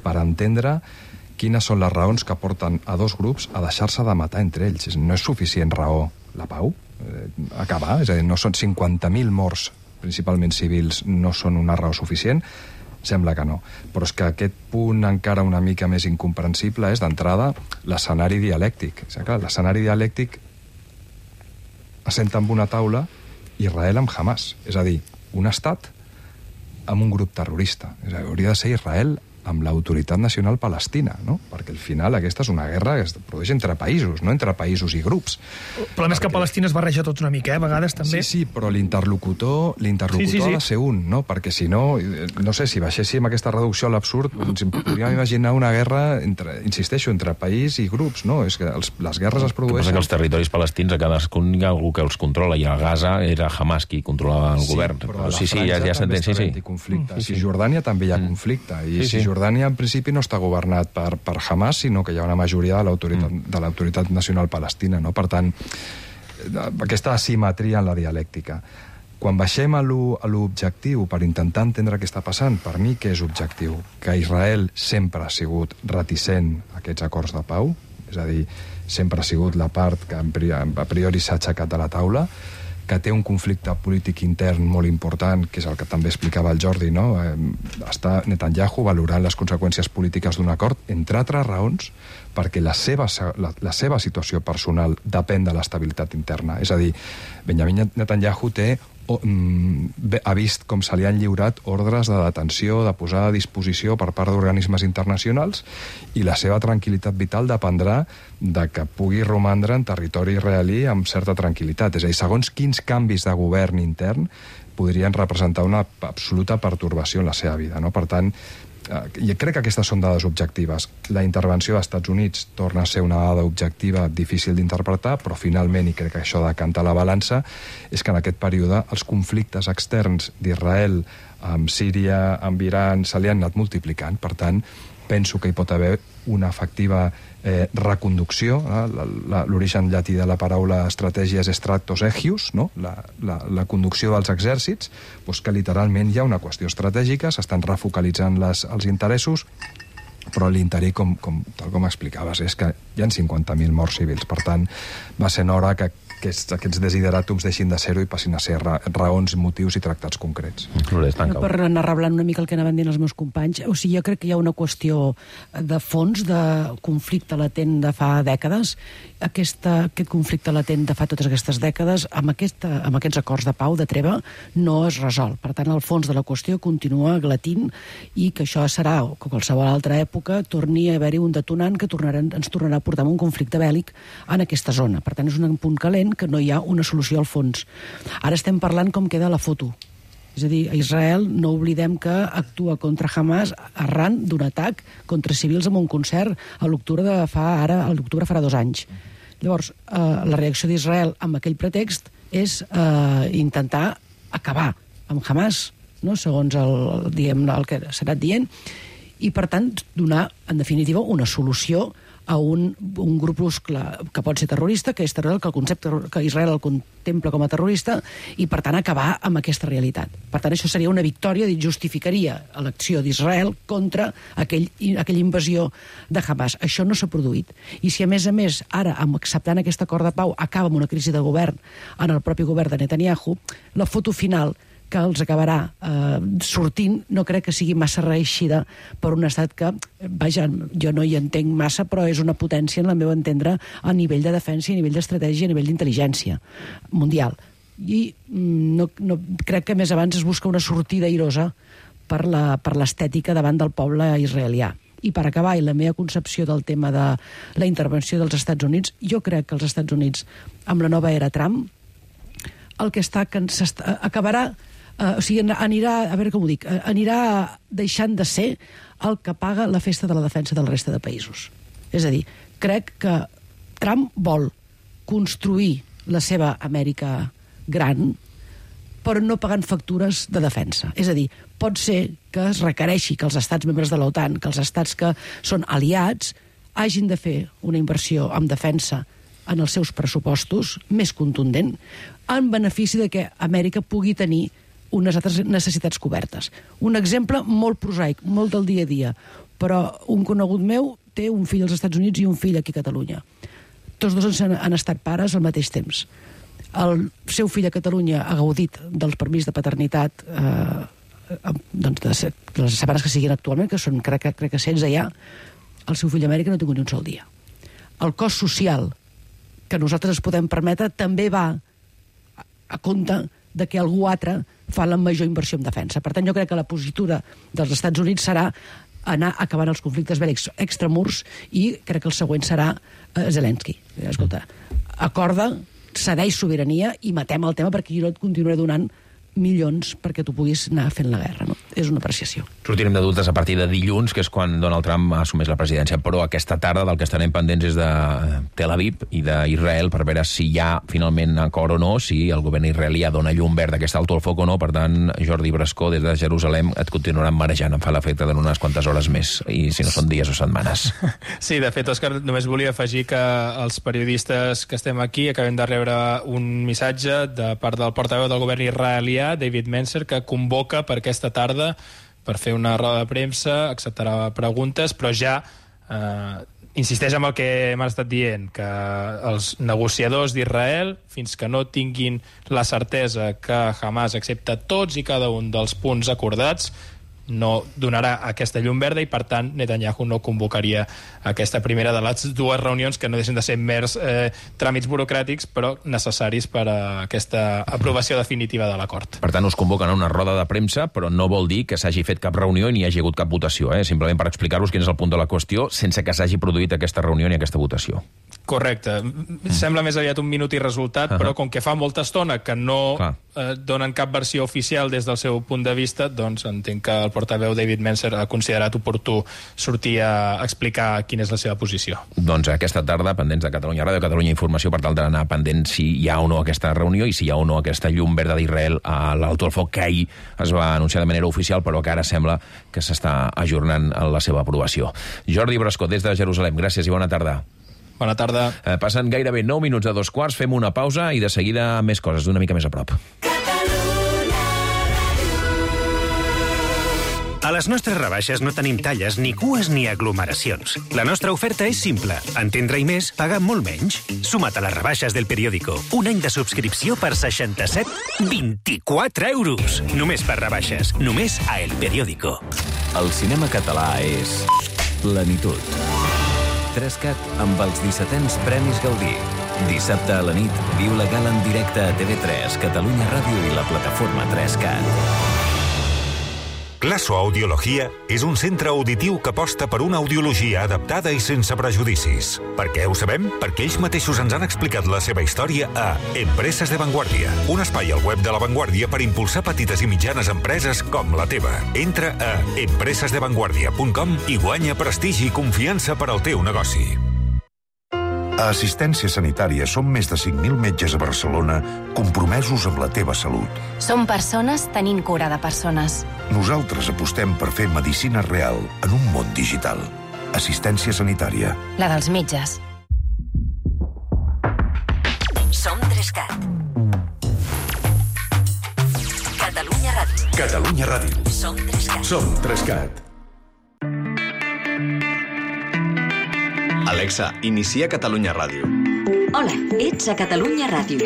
per entendre quines són les raons que porten a dos grups a deixar-se de matar entre ells. No és suficient raó la pau, eh, acabar, és a dir, no són cinquanta mil morts, principalment civils, no són una raó suficient. Sembla que no. Però és que aquest punt encara una mica més incomprensible és, d'entrada, l'escenari dialèctic. És clar, l'escenari dialèctic assenta amb una taula Israel amb Hamas. És a dir, un estat amb un grup terrorista. És a dir, hauria de ser Israel amb l'autoritat nacional palestina, no? Perquè al final aquesta és una guerra que es produeix entre països, no entre països i grups. El problema és que Palestina es barreja tot una mica, eh? A vegades també... Sí, sí, però l'interlocutor l'interlocutor sí, sí, sí. ha de ser un, no? Perquè si no, no sé, si baixéssim aquesta reducció a l'absurd, ens podríem imaginar una guerra, entre, insisteixo, entre país i grups, no? És que els, les guerres es produeixen... Que els territoris palestins a cadascun hi ha algú que els controla, i a Gaza era Hamas qui controlava el sí, govern. Però a la sí, sí, Franja ja, ja també sí, sí. conflicte. Mm, sí, sí. Si Jordània també hi ha conflicte, i sí, si sí. Jordània en principi no està governat per, per Hamas, sinó que hi ha una majoria de l'autoritat mm. de l'autoritat nacional palestina, no? Per tant, aquesta asimetria en la dialèctica. Quan baixem a l'objectiu per intentar entendre què està passant, per mi què és objectiu? Que Israel sempre ha sigut reticent a aquests acords de pau, és a dir, sempre ha sigut la part que a priori s'ha aixecat de la taula, que té un conflicte polític intern molt important, que és el que també explicava el Jordi, no? Eh, està Netanyahu valorant les conseqüències polítiques d'un acord, entre altres raons, perquè la seva, la, la seva situació personal depèn de l'estabilitat interna. És a dir, Benjamin Netanyahu té o, mm, ha vist com se li han lliurat ordres de detenció, de posar a disposició per part d'organismes internacionals, i la seva tranquil·litat vital dependrà de que pugui romandre en territori israelí amb certa tranquil·litat. És a dir, segons quins canvis de govern intern podrien representar una absoluta pertorbació en la seva vida, no? Per tant, jo crec que aquestes són dades objectives. La intervenció dels Estats Units torna a ser una dada objectiva difícil d'interpretar, però finalment, i crec que això decanta la balança, és que en aquest període els conflictes externs d'Israel amb Síria, amb Iran, se li han anat multiplicant. Per tant, penso que hi pot haver una efectiva eh, reconducció. Eh? L'origen llatí de la paraula estratègia és stractos egius, no? la, la, la conducció dels exèrcits, doncs que literalment hi ha una qüestió estratègica, s'estan refocalitzant les, els interessos, però a l'interí, com, com, tal com explicaves, és que hi ha cinquanta mil morts civils. Per tant, va ser hora que aquests, aquests desideràtums deixin de ser-ho i passin a ser ra raons, motius i tractats concrets. Per anar reblant una mica el que anaven dient els meus companys, o sigui, jo crec que hi ha una qüestió de fons, de conflicte latent de fa dècades. Aquesta, aquest conflicte latent de fa totes aquestes dècades, amb, aquesta, amb aquests acords de pau, de treva, no es resol. Per tant, el fons de la qüestió continua glatint i que això serà, com qualsevol altra època, torni a haver-hi un detonant que tornarà, ens tornarà a portar un conflicte bèl·lic en aquesta zona. Per tant, és un punt calent que no hi ha una solució al fons. Ara estem parlant com queda la foto. És a dir, a Israel no oblidem que actua contra Hamas arran d'un atac contra civils en un concert a l'octubre de fa ara, a l'octubre farà dos anys. Llavors, eh, la reacció d'Israel amb aquell pretext és eh, intentar acabar amb Hamas, no? Segons el, diguem, el que s'ha anat dient, i per tant donar, en definitiva, una solució a un, un grupuscle que pot ser terrorista, que és terror, que el concepte que Israel el contempla com a terrorista, i per tant acabar amb aquesta realitat. Per tant, això seria una victòria, justificaria l'acció d'Israel contra aquell, aquella invasió de Hamas. Això no s'ha produït. I si a més a més, ara, amb acceptant aquest acord de pau, acaba amb una crisi de govern en el propi govern de Netanyahu, la foto final que els acabarà eh, sortint, no crec que sigui massa reeixida per un estat que, vaja, jo no hi entenc massa, però és una potència, en la meva entendre, a nivell de defensa, a nivell d'estratègia, a nivell d'intel·ligència mundial. I no, no, crec que més abans es busca una sortida airosa per la, per l'estètica davant del poble israelià. I per acabar, i la meva concepció del tema de la intervenció dels Estats Units, jo crec que els Estats Units, amb la nova era Trump, el que està, que acabarà Uh, o sigui, anirà, a veure com ho dic, anirà deixant de ser el que paga la festa de la defensa de la resta de països. És a dir, crec que Trump vol construir la seva Amèrica gran, però no pagant factures de defensa. És a dir, pot ser que es requereixi que els estats membres de l'OTAN, que els estats que són aliats, hagin de fer una inversió en defensa en els seus pressupostos més contundent, en benefici de que Amèrica pugui tenir unes altres necessitats cobertes. Un exemple molt prosaic, molt del dia a dia, però un conegut meu té un fill als Estats Units i un fill aquí a Catalunya. Tots dos han, han estat pares al mateix temps. El seu fill a Catalunya ha gaudit del permís de paternitat eh, doncs de, de les setmanes que siguin actualment, que són, crec, crec que setze ja. El seu fill a Amèrica no ha tingut ni un sol dia. El cost social que nosaltres es podem permetre també va a, a compte de que algú altre fa la major inversió en defensa. Per tant, jo crec que la positura dels Estats Units serà anar acabant els conflictes bèl·lics extramurs i crec que el següent serà eh, Zelensky. Escolta, acorda, cedeix sobirania i matem el tema perquè jo no et continuaré donant milions perquè tu puguis anar fent la guerra. No? És una apreciació. Sortirem de dubtes a partir de dilluns, que és quan Donald Trump assumeix la presidència, però aquesta tarda del que estarem pendents és de Tel Aviv i d'Israel per veure si hi ha finalment acord o no, si el govern israelià dona llum verd d'aquest alto al foc o no. Per tant, Jordi Brascó, des de Jerusalem, et continuaran marejant. Em fa l'efecte de unes quantes hores més, i si no són dies o setmanes. Sí, de fet, Òscar, només volia afegir que els periodistes que estem aquí acabem de rebre un missatge de part del portaveu del govern israelià, David Mencer, que convoca per aquesta tarda per fer una roda de premsa, acceptarà preguntes, però ja eh, insisteix en el que m'han estat dient, que els negociadors d'Israel, fins que no tinguin la certesa que Hamas accepta tots i cada un dels punts acordats, no donarà aquesta llum verda i, per tant, Netanyahu no convocaria aquesta primera de les dues reunions que no deixen de ser mers eh, tràmits burocràtics, però necessaris per a aquesta aprovació definitiva de l'acord. Per tant, us convoquen a una roda de premsa, però no vol dir que s'hagi fet cap reunió i ni hi hagi hagut cap votació, eh? Simplement per explicar-vos quin és el punt de la qüestió sense que s'hagi produït aquesta reunió ni aquesta votació. Correcte. Mm. Sembla més aviat un minut i resultat, uh-huh. però com que fa molta estona que no eh, donen cap versió oficial des del seu punt de vista, doncs entenc que el portaveu David Mencer ha considerat oportú sortir a explicar quina és la seva posició. Doncs aquesta tarda, pendents de Catalunya Ràdio, Catalunya Informació, per tal d'anar pendent si hi ha o no aquesta reunió i si hi ha o no aquesta llum verda d'Israel a l'alto al foc, que ahir es va anunciar de manera oficial, però que ara sembla que s'està ajornant la seva aprovació. Jordi Brascó, des de Jerusalem, gràcies i bona tarda. Bona tarda. Eh, passen gairebé nou minuts de dos quarts, fem una pausa i de seguida més coses, d'una mica més a prop. A les nostres rebaixes no tenim talles, ni cues ni aglomeracions. La nostra oferta és simple. Entendre i més, pagar molt menys. Suma't a les rebaixes del Periódico. Un any de subscripció per seixanta-set coma vint-i-quatre euros. Només per rebaixes. Només a El Periódico. El cinema català és plenitud. Trescat amb els dissetens Premis Gaudí. Dissabte a la nit, viu la gala en directe a T V tres, Catalunya Ràdio i la plataforma Trescat. Classo Audiologia és un centre auditiu que aposta per una audiologia adaptada i sense prejudicis. Per què ho sabem? Perquè ells mateixos ens han explicat la seva història a Empreses de Vanguardia, un espai al web de La Vanguardia per impulsar petites i mitjanes empreses com la teva. Entra a empreses de vanguardia punt com i guanya prestigi i confiança per al teu negoci. A Assistència Sanitària som més de cinc mil metges a Barcelona compromesos amb la teva salut. Som persones tenint cura de persones. Nosaltres apostem per fer medicina real en un món digital. Assistència Sanitària. La dels metges. Som Trescat. Catalunya Ràdio. Catalunya Ràdio. Som Trescat. Som Trescat. Alexa, inicia Catalunya Ràdio. Hola, ets a Catalunya Ràdio.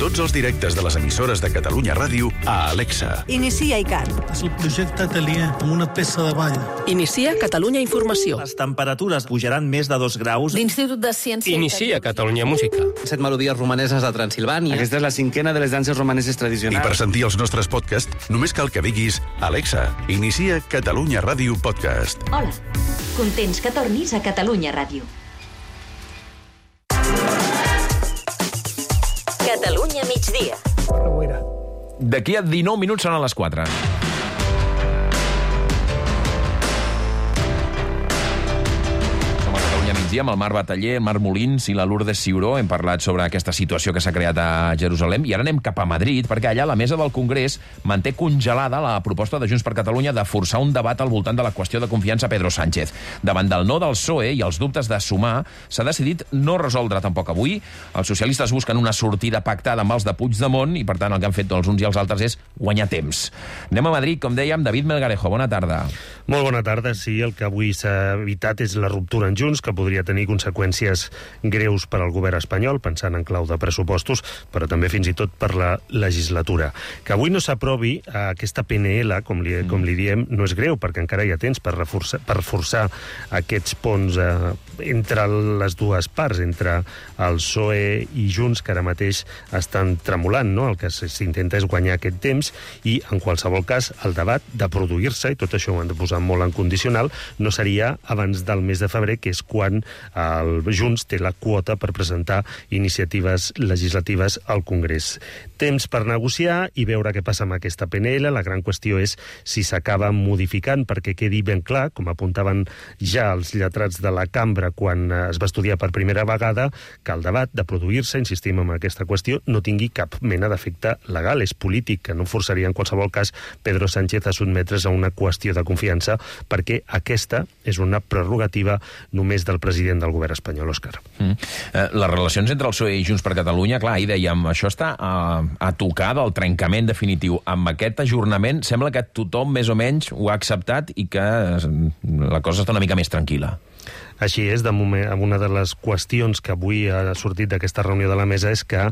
Tots els directes de les emissores de Catalunya Ràdio a Alexa. Inicia ICAT. És el projecte Atelier, amb una peça de ball. Inicia Catalunya Informació. Les temperatures pujaran més de dos graus. L'Institut de Ciència... Inicia Catalunya Música. Set melodies romaneses de Transilvània. Aquesta és la cinquena de les danses romaneses tradicionals. I per sentir els nostres podcasts, només cal que diguis Alexa, inicia Catalunya Ràdio Podcast. Hola, contents que tornis a Catalunya Ràdio. Catalunya migdia. D'aquí a dinou minuts seran les quatre. Som a Catalunya migdia amb el Marc Bataller, el Marc Molins i la Lourdes Ciuró. Hem parlat sobre aquesta situació que s'ha creat a Jerusalem i ara anem cap a Madrid, perquè allà la mesa del Congrés manté congelada la proposta de Junts per Catalunya de forçar un debat al voltant de la qüestió de confiança a Pedro Sánchez. Davant del no del P S O E i els dubtes de Sumar, s'ha decidit no resoldre tampoc avui. Els socialistes busquen una sortida pactada amb els de Puigdemont i, per tant, el que han fet els uns i els altres és guanyar temps. Anem a Madrid, com dèiem, David Melgarejo. Bona tarda. Molt bona tarda. Sí, el que avui s'ha evitat és la ruptura en Junts, que podria tenir conseqüències greus per al govern espanyol, pensant en clau de pressupostos, però també fins i tot per la legislatura. Que avui no s'aprovi aquesta P N L, com li, com li diem, no és greu, perquè encara hi ha temps per reforçar, per forçar aquests ponts eh, entre les dues parts, entre el P S O E i Junts, que ara mateix estan tremolant, no? El que s'intenta és guanyar aquest temps i, en qualsevol cas, el debat de produir-se, i tot això ho han de posar molt en condicional, no seria abans del mes de febrer, que és quan el Junts té la quota per presentar iniciatives legislatives al Congrés. Temps per negociar i veure què passa amb aquesta P N L. La gran qüestió és si s'acaba modificant, perquè quedi ben clar, com apuntaven ja els lletrats de la cambra quan es va estudiar per primera vegada, que el debat de produir-se, insistim en aquesta qüestió, no tingui cap mena d'efecte legal, és polític, que no forçaria en qualsevol cas Pedro Sánchez a sotmetre's a una qüestió de confiança, perquè aquesta és una prerrogativa només del president del govern espanyol, Òscar. Mm. Eh, les relacions entre el P S O E i Junts per Catalunya, clar, ahir dèiem, això està a, a tocar del trencament definitiu. Amb aquest ajornament sembla que tothom més o menys ho ha acceptat i que la cosa està una mica més tranquil·la. Així és, de moment, una de les qüestions que avui ha sortit d'aquesta reunió de la mesa és que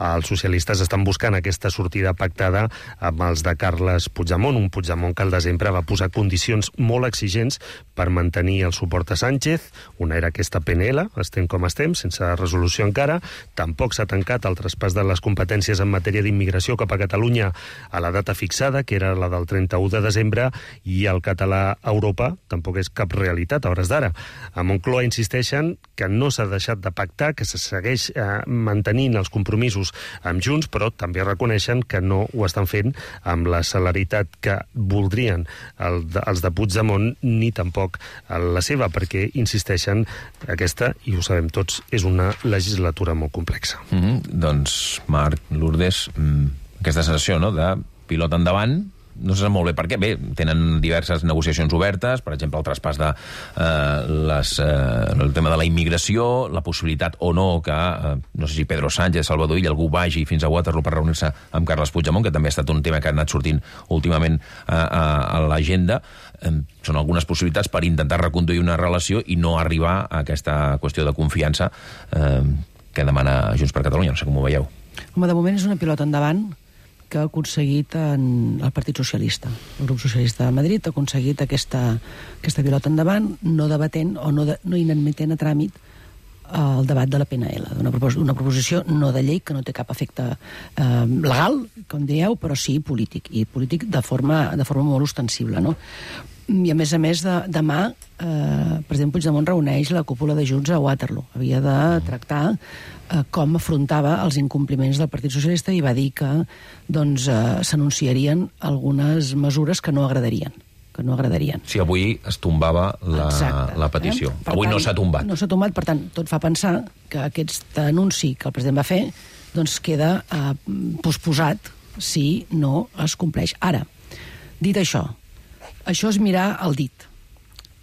els socialistes estan buscant aquesta sortida pactada amb els de Carles Puigdemont, un Puigdemont que al desembre va posar condicions molt exigents per mantenir el suport a Sánchez. Una era aquesta P N L, estem com estem, sense resolució encara. Tampoc s'ha tancat el traspàs de les competències en matèria d'immigració cap a Catalunya a la data fixada, que era la del trenta-u de desembre, i el català a Europa tampoc és cap realitat a hores d'ara. A Moncloa insisteixen que no s'ha deixat de pactar, que se segueix eh, mantenint els compromisos amb Junts, però també reconeixen que no ho estan fent amb la celeritat que voldrien el, els de Puigdemont, ni tampoc la seva, perquè insisteixen aquesta, i ho sabem tots, és una legislatura molt complexa. Mm-hmm. Doncs, Marc, Lourdes, mm, aquesta sensació, no?, de pilot endavant, no se sap molt bé per què. Bé, tenen diverses negociacions obertes, per exemple, el traspàs de eh, les, eh, el tema de la immigració, la possibilitat o no que, eh, no sé si Pedro Sánchez, Salvador Illa, algú vagi fins a Waterloo per reunir-se amb Carles Puigdemont, que també ha estat un tema que ha anat sortint últimament a, a, a l'agenda. Eh, són algunes possibilitats per intentar reconduir una relació i no arribar a aquesta qüestió de confiança eh, que demana Junts per Catalunya. No sé com ho veieu. Home, de moment és una pilota endavant que ha aconseguit en el Partit Socialista. El grup socialista de Madrid ha aconseguit aquesta, aquesta pilota endavant, no debatent o no, de, no inadmetent a tràmit el debat de la P N L, una, propos una proposició no de llei que no té cap efecte eh, legal, com dieu, però sí polític, i polític de forma, de forma molt ostensible, no? I a més a més, de, demà eh, el president Puigdemont reuneix la cúpula de Junts a Waterloo. Havia de tractar eh, com afrontava els incompliments del Partit Socialista i va dir que doncs, eh, s'anunciarien algunes mesures que no agradarien. Que no agradarien. Si avui es tombava la, Exacte, la petició. Eh? Avui tant, no s'ha tombat. No s'ha tombat, per tant, tot fa pensar que aquest anunci que el president va fer doncs queda eh, posposat si no es compleix. Ara, dit això, això és mirar el dit.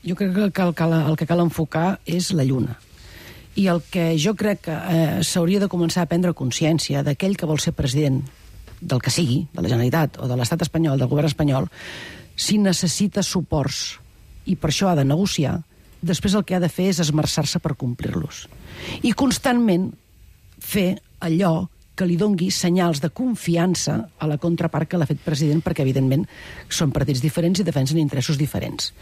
Jo crec que el que cal, el que cal enfocar és la lluna. I el que jo crec que eh, s'hauria de començar a prendre consciència d'aquell que vol ser president del que sigui, de la Generalitat o de l'Estat espanyol, del govern espanyol, si necessita suports i per això ha de negociar, després el que ha de fer és esmerçar-se per complir-los. I constantment fer allò que li dongui senyals de confiança a la contrapart que l'ha fet president, perquè, evidentment, són partits diferents i defensen interessos diferents.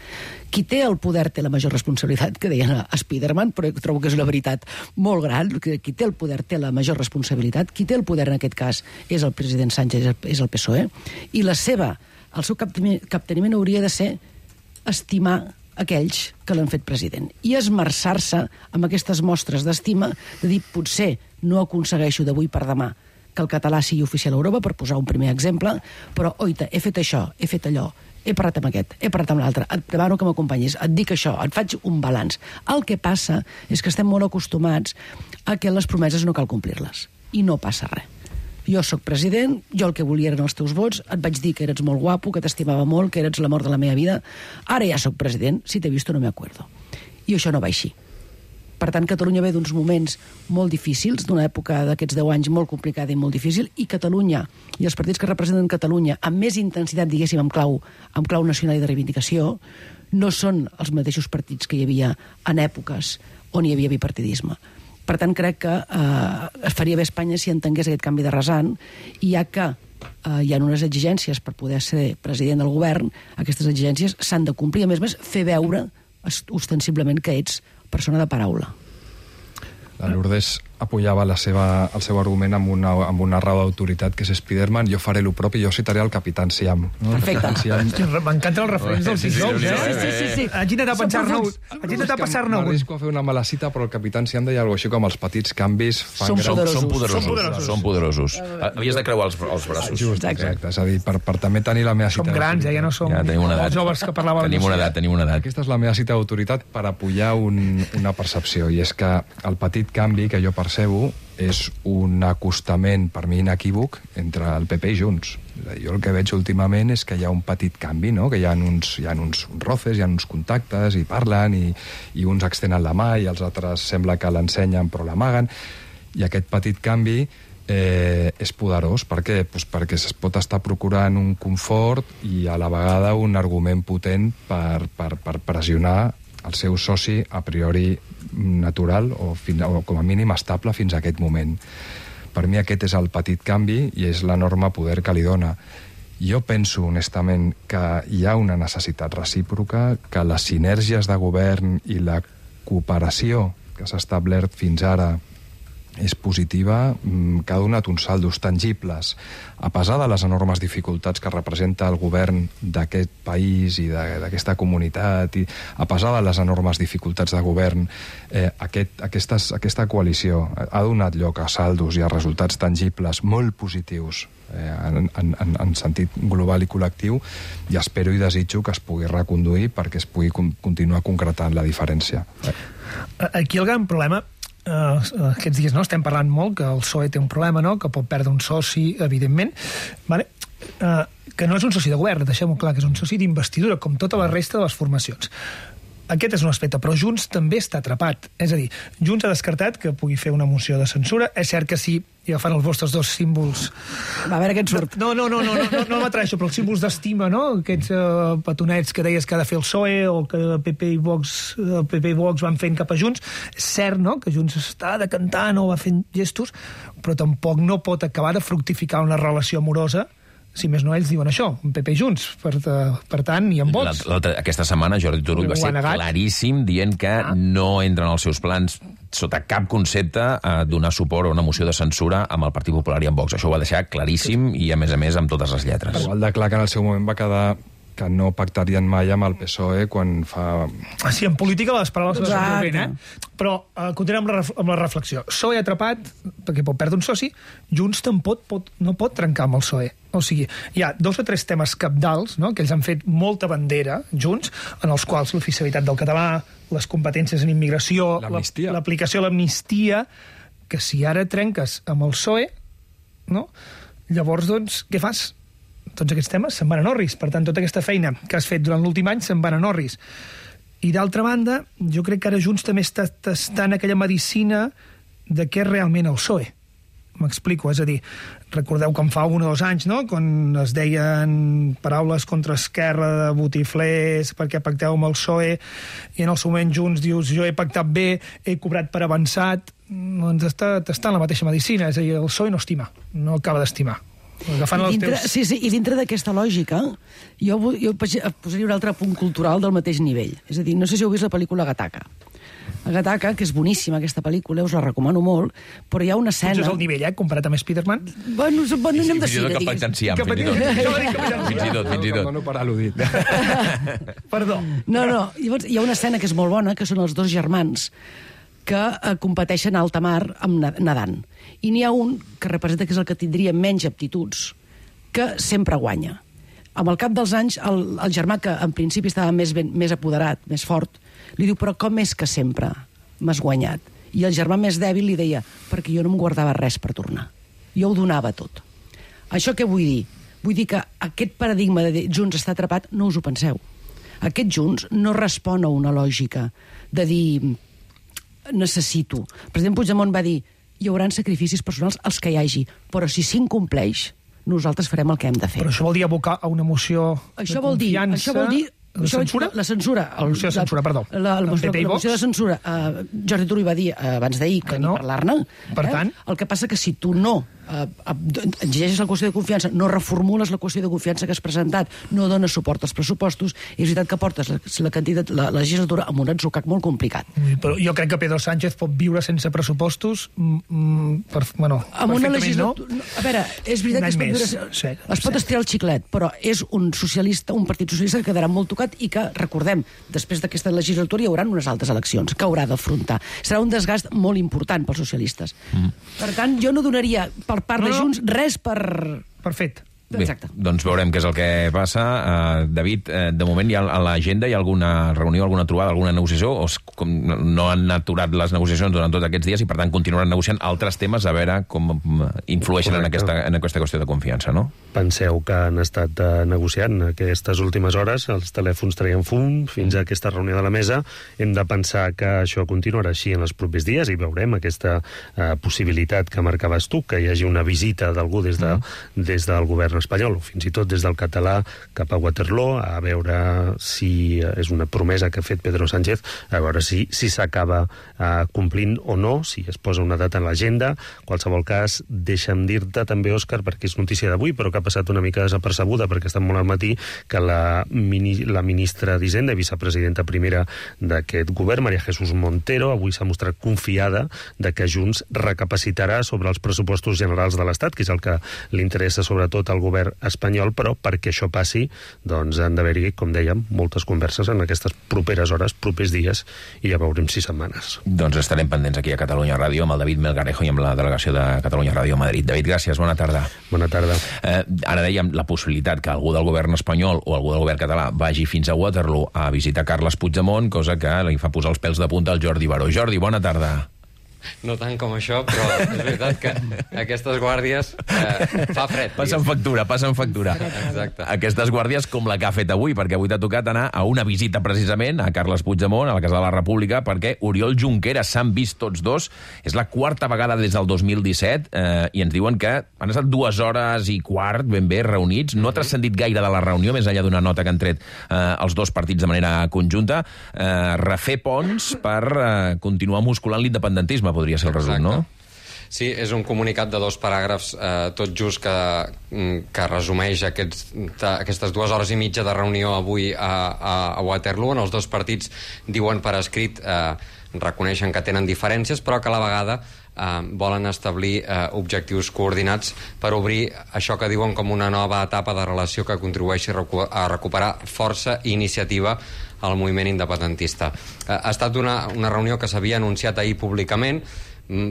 Qui té el poder té la major responsabilitat, que deien a Spiderman, però trobo que és una veritat molt gran, que qui té el poder té la major responsabilitat, qui té el poder en aquest cas és el president Sánchez, és el P S O E, i la seva, el seu capteniment hauria de ser estimar aquells que l'han fet president i esmerçar-se amb aquestes mostres d'estima, de dir, potser no aconsegueixo d'avui per demà que el català sigui oficial a Europa, per posar un primer exemple, però, oita, he fet això, he fet allò, he parlat amb aquest, he parlat amb l'altre, et demano que m'acompanyis, et dic això, et faig un balanç. El que passa és que estem molt acostumats a que les promeses no cal complir-les, i no passa res. Jo sóc president, jo el que volia eren els teus vots, et vaig dir que eres molt guapo, que t'estimava molt, que eres l'amor de la meva vida. Ara ja sóc president, si t'he vist no me acuerdo. I això no va així. Per tant, Catalunya ve d'uns moments molt difícils, d'una època d'aquests deu anys molt complicada i molt difícil, i Catalunya, i els partits que representen Catalunya, amb més intensitat, diguéssim, amb clau, amb clau nacional i de reivindicació, no són els mateixos partits que hi havia en èpoques on hi havia bipartidisme. Per tant, crec que eh, es faria bé a Espanya si entengués aquest canvi de rasant, i ja que eh, hi ha unes exigències per poder ser president del govern, aquestes exigències s'han de complir, a més a més, fer veure ostensiblement que ets persona de paraula. La Lourdes apoyava la seva, el seu argument amb una, amb una raó d'autoritat que és Spiderman. Jo faré el propi, jo citaré el Capitán Siam. No? Perfecte. Siam... M'encanten els referents dels sis nous, eh? Sí, sí, sí, sí. Haig d'intentar pensar-ne un. Haig d'intentar passar-ne un. M'arrisco a fer una mala cita, però el Capitán Siam deia alguna cosa així com els petits canvis fan Són grans... poderosos. Són poderosos. Són poderosos. Són poderosos. Havies de creuar els, els braços. Just, exacte. És a dir, per, per també tenir la meva cita... Som grans, eh? Ja no som Ja tenim una edat. els joves que parlaven. Tenim una edat, tenim una edat. Aquesta és la meva cita d'autoritat per apoyar un, una percepció, i és que el petit canvi que jo percebo és un acostament, per mi inequívoc, entre el P P i Junts. Jo el que veig últimament és que hi ha un petit canvi, no? Que hi ha uns, hi ha uns roces, hi ha uns contactes, i parlen, i, i uns extenen la mà, i els altres sembla que l'ensenyen però l'amaguen. I aquest petit canvi eh, és poderós. Per què? Pues perquè es pot estar procurant un confort i a la vegada un argument potent per, per, per pressionar el seu soci a priori natural o, fin, o com a mínim estable fins a aquest moment. Per mi aquest és el petit canvi i és l'enorme poder que li dona. Jo penso honestament que hi ha una necessitat recíproca, que les sinergies de govern i la cooperació que s'ha establert fins ara és positiva, que ha donat uns saldos tangibles, a pesar de les enormes dificultats que representa el govern d'aquest país i d'aquesta comunitat, i a pesar de les enormes dificultats de govern, eh, aquest, aquestes, aquesta coalició ha donat lloc a saldos i a resultats tangibles molt positius eh, en, en, en sentit global i col·lectiu, i espero i desitjo que es pugui reconduir perquè es pugui continuar concretant la diferència. Aquí el gran problema Uh, aquests dies no estem parlant molt que el P S O E té un problema, no? Que pot perdre un soci, evidentment, vale? Uh, que no és un soci de govern, deixem-ho clar, que és un soci d'investidura, com tota la resta de les formacions. Aquest és un aspecte, però Junts també està atrapat. És a dir, Junts ha descartat que pugui fer una moció de censura. És cert que sí, i agafant els vostres dos símbols... Va, a veure què et surt. No, no, no, no, no, no, no m'atreixo, però els símbols d'estima, no? Aquests uh, petonets que deies que ha de fer el P S O E o que el P P i Vox, el P P i Vox van fent cap a Junts. És cert, no?, que Junts està decantant o va fent gestos, però tampoc no pot acabar de fructificar una relació amorosa. Si més no, ells diuen això, un P P i Junts, per, per tant, i amb vots. Aquesta setmana Jordi Turull va ser claríssim dient que ah. no entren als seus plans sota cap concepte a donar suport a una moció de censura amb el Partit Popular i amb Vox. Això ho va deixar claríssim i, a més a més, amb totes les lletres. Igual de clar que en el seu moment va quedar que no pactarien mai amb el P S O E quan fa... Ah, sí, en política les paraules no són ben, eh? Però uh, continuem amb la, amb la reflexió. P S O E atrapat, perquè pot perdre un soci, Junts tampoc pot, no pot trencar amb el P S O E. O sigui, hi ha dos o tres temes cabdals, no?, que ells han fet molta bandera, Junts, en els quals l'oficialitat del català, les competències en immigració, l'aplicació a l'amnistia, que si ara trenques amb el P S O E, no?, llavors, doncs, què fas? Tots aquests temes se'n van a Norris. Per tant, tota aquesta feina que has fet durant l'últim any se'n van a Norris. I d'altra banda, jo crec que ara Junts també està tastant aquella medicina de què és realment el P S O E. M'explico, és a dir, recordeu que en fa un o dos anys, no?, quan es deien paraules contra Esquerra de botiflers perquè pacteu amb el P S O E, i en el seu moment Junts dius, jo he pactat bé, he cobrat per avançat, doncs està tastant la mateixa medicina, és a dir, el P S O E no estima, no acaba d'estimar. I dintre, teus... sí, sí, i dintre d'aquesta lògica jo, jo posaria un altre punt cultural del mateix nivell. És a dir, no sé si heu vist la pel·lícula Gattaca. Gattaca, que és boníssima aquesta pel·lícula, us la recomano molt, però hi ha una escena... Potser és el nivell, eh, comparat amb Spider-Man? Bueno, bueno anem de cine, digues. Fins i tot, fins i tot. Fins i tot. No per al·ludit. Perdó. No, no, llavors hi ha una escena que és molt bona, que són els dos germans que eh, competeixen a alta mar amb nedant. I n'hi ha un que representa que és el que tindria menys aptituds, que sempre guanya. Amb el cap dels anys, el, el germà que en principi estava més, ben, més apoderat, més fort, li diu, però com és que sempre m'has guanyat? I el germà més dèbil li deia, perquè jo no em guardava res per tornar. Jo ho donava tot. Això què vull dir? Vull dir que aquest paradigma de Junts està atrapat, no us ho penseu. Aquest Junts no respon a una lògica de dir necessito. El president Puigdemont va dir hi haurà sacrificis personals els que hi hagi, però si s'incompleix, nosaltres farem el que hem de fer. Però això vol dir abocar a una moció això de vol dir, confiança... Això vol dir La censura? La censura. La moció de censura, perdó. La, la, la, moció, la moció de censura. Uh, Jordi Turull va dir uh, abans d'ahir que, que no. ni parlar-ne. Per eh? tant... El que passa que si tu no uh, exigeixes la qüestió de confiança, no reformules la qüestió de confiança que has presentat, no dones suport als pressupostos, és veritat que portes la, la, candidat, la, la legislatura amb un atzucac molt complicat. Però jo crec que Pedro Sánchez pot viure sense pressupostos mm, per, bueno, amb una legislatura... No? A veure, és veritat que es pot, viure, sí, es pot sí. estirar el xiclet, però és un socialista, un partit socialista que quedarà molt tocat i que, recordem, després d'aquesta legislatura hi haurà unes altres eleccions que haurà d'afrontar. Serà un desgast molt important pels socialistes. Mm. Per tant, jo no donaria per part no, de Junts res per... Per fet. Bé, doncs veurem què és el que passa. Uh, David, uh, de moment hi ha a l'agenda hi ha alguna reunió, alguna trobada, alguna negociació, o com no han aturat les negociacions durant tots aquests dies i per tant continuaran negociant altres temes a veure com influeixen en aquesta, en aquesta qüestió de confiança, no? Penseu que han estat uh, negociant aquestes últimes hores, els telèfons traien fum fins a aquesta reunió de la mesa. Hem de pensar que això continuarà així en els propers dies i veurem aquesta uh, possibilitat que marcaves tu, que hi hagi una visita d'algú des, de, mm. des del govern espanyol, o fins i tot des del català cap a Waterloo, a veure si és una promesa que ha fet Pedro Sánchez, a veure si si s'acaba uh, complint o no, si es posa una data en l'agenda. En qualsevol cas, deixa'm dir-te també, Òscar, perquè és notícia d'avui, però que ha passat una mica desapercebuda, perquè està molt al matí, que la, mini, la ministra d'Hisenda i vicepresidenta primera d'aquest govern, María Jesús Montero, avui s'ha mostrat confiada de que Junts recapacitarà sobre els pressupostos generals de l'Estat, que és el que li interessa sobretot al govern espanyol, però perquè això passi, doncs han d'haver-hi, com dèiem, moltes converses en aquestes properes hores, propers dies, i ja veurem si setmanes. Doncs estarem pendents aquí a Catalunya Ràdio amb el David Melgarejo i amb la delegació de Catalunya Ràdio a Madrid. David, gràcies, bona tarda. Bona tarda. Eh, ara dèiem la possibilitat que algú del govern espanyol o algú del govern català vagi fins a Waterloo a visitar Carles Puigdemont, cosa que li fa posar els pèls de punta al Jordi Baró. Jordi, bona tarda. No tant com això, però és veritat que aquestes guàrdies eh, fa fred. Passen factura, passen factura. Exacte. Aquestes guàrdies com la que ha fet avui, perquè avui t'ha tocat anar a una visita precisament a Carles Puigdemont, a la Casa de la República, perquè Oriol Junqueras s'han vist tots dos. És la quarta vegada des del dos mil disset eh, i ens diuen que han estat dues hores i quart ben bé reunits. No ha transcendit gaire de la reunió, més enllà d'una nota que han tret eh, els dos partits de manera conjunta. Eh, refer ponts per eh, continuar musculant l'independentisme, podria ser el resum, no? Sí, és un comunicat de dos paràgrafs eh, tot just que, que resumeix aquests, aquestes dues hores i mitja de reunió avui a, a, a Waterloo. En els dos partits diuen per escrit, eh, reconeixen que tenen diferències, però que a la vegada eh, volen establir eh, objectius coordinats per obrir això que diuen com una nova etapa de relació que contribueixi a, recu a recuperar força i iniciativa al moviment independentista. Eh, ha estat una, una reunió que s'havia anunciat ahir públicament,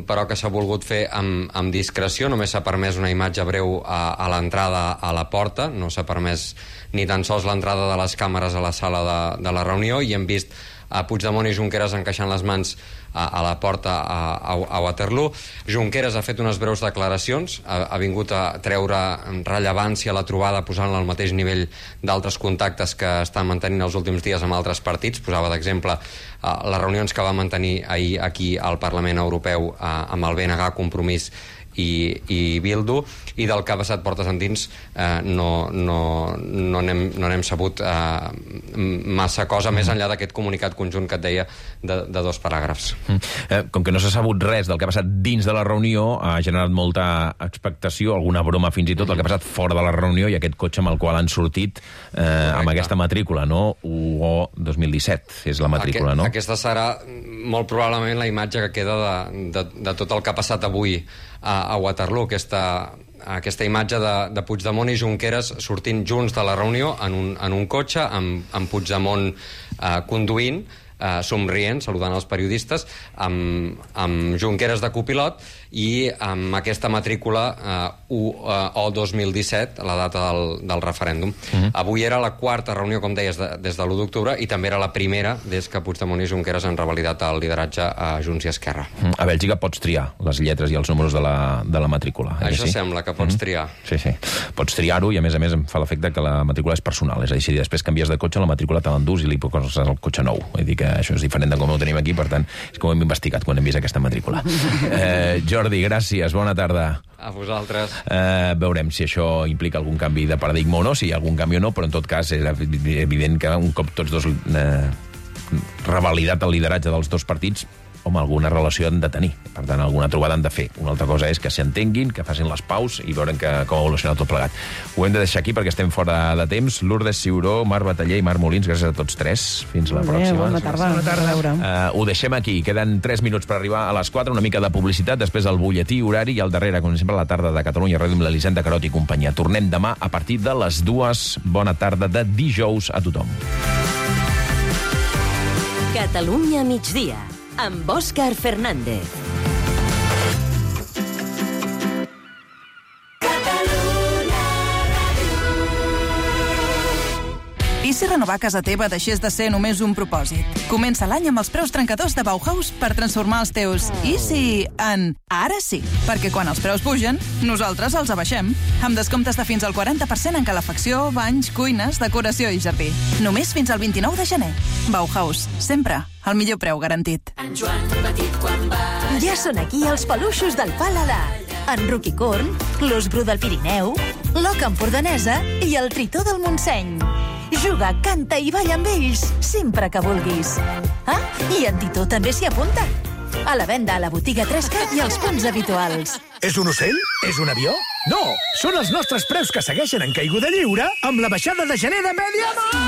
però que s'ha volgut fer amb, amb discreció. Només s'ha permès una imatge breu a, a l'entrada a la porta, no s'ha permès ni tan sols l'entrada de les càmeres a la sala de, de la reunió, i hem vist a Puigdemont i Junqueras encaixant les mans a, a la porta a, a, a Waterloo. Junqueras ha fet unes breus declaracions, ha, ha vingut a treure rellevància a la trobada posant-la al mateix nivell d'altres contactes que estan mantenint els últims dies amb altres partits. Posava d'exemple uh, les reunions que va mantenir ahir aquí al Parlament Europeu uh, amb el B N G, Compromís i, i Bildu, i del que ha passat portes endins eh, no, no, no, n'hem, no n'hem sabut eh, massa cosa, més enllà d'aquest comunicat conjunt que et deia de, de dos paràgrafs. Mm. Eh, com que no s'ha sabut res del que ha passat dins de la reunió, ha generat molta expectació, alguna broma fins i tot, el que ha passat fora de la reunió i aquest cotxe amb el qual han sortit eh, amb aquesta matrícula, no? U O dos mil disset és la matrícula, Aquest, no? Aquesta serà molt probablement la imatge que queda de, de, de tot el que ha passat avui a, a Waterloo, aquesta, aquesta imatge de, de Puigdemont i Junqueras sortint junts de la reunió en un, en un cotxe, amb, amb Puigdemont eh, conduint, eh, somrient, saludant els periodistes, amb, amb Junqueras de copilot i amb aquesta matrícula eh, U O dos mil disset, la data del, del referèndum. Uh-huh. Avui era la quarta reunió, com deies, de, des de l'u d'octubre, i també era la primera des que Puigdemont i Junqueras han revalidat el lideratge a Junts i Esquerra. Uh-huh. A Bèlgica pots triar les lletres i els números de la, de la matrícula. Això sí? Sembla que pots uh-huh. triar. Sí, sí. Pots triar-ho i, a més a més, em fa l'efecte que la matrícula és personal. És a dir, si després canvies de cotxe, la matrícula te l'endús i li poses el cotxe nou. Vull dir que això és diferent de com ho tenim aquí, per tant, és com ho hem investigat quan hem vist aquesta matrícula. Eh, Jordi, gràcies. Bona tarda. A vosaltres. Eh, veurem si això implica algun canvi de paradigma o no, si hi ha algun canvi o no, però en tot cas és evident que un cop tots dos eh, revalidat el lideratge dels dos partits, home, alguna relació han de tenir. Per tant, alguna trobada han de fer. Una altra cosa és que s'entenguin, que facin les paus i veurem que, com evoluciona tot plegat. Ho hem de deixar aquí perquè estem fora de temps. Lourdes Ciuró, Marc Bataller i Marc Molins, gràcies a tots tres. Fins la Bé, pròxima. bona tarda. Bona tarda. Uh, ho deixem aquí. Queden tres minuts per arribar a les quatre, una mica de publicitat, després el butlletí horari i al darrere, com sempre, la tarda de Catalunya Ràdio amb l'Elisenda Carot i companyia. Tornem demà a partir de les dues. Bona tarda de dijous a tothom. Catalunya migdia, amb Òscar Fernández. I si renovar casa teva deixés de ser només un propòsit? Comença l'any amb els preus trencadors de Bauhaus per transformar els teus i si en ara sí. Perquè quan els preus pugen, nosaltres els abaixem. Amb descomptes de fins al quaranta per cent en calefacció, banys, cuines, decoració i jardí. Només fins al vint-i-nou de gener. Bauhaus, sempre el millor preu garantit. En Joan petit quan va... Ja són aquí els peluixos del Paladar. En Ruquicorn, l'Os Bru del Pirineu, l'Oca Empordanesa i el Tritó del Montseny. Juga, canta i balla amb ells sempre que vulguis. Ah, i en Titó també s'hi apunta. A la venda a la botiga tres cat i als punts habituals. És un ocell? És un avió? No! Són els nostres preus que segueixen en caiguda lliure amb la baixada de gener de Mediamar!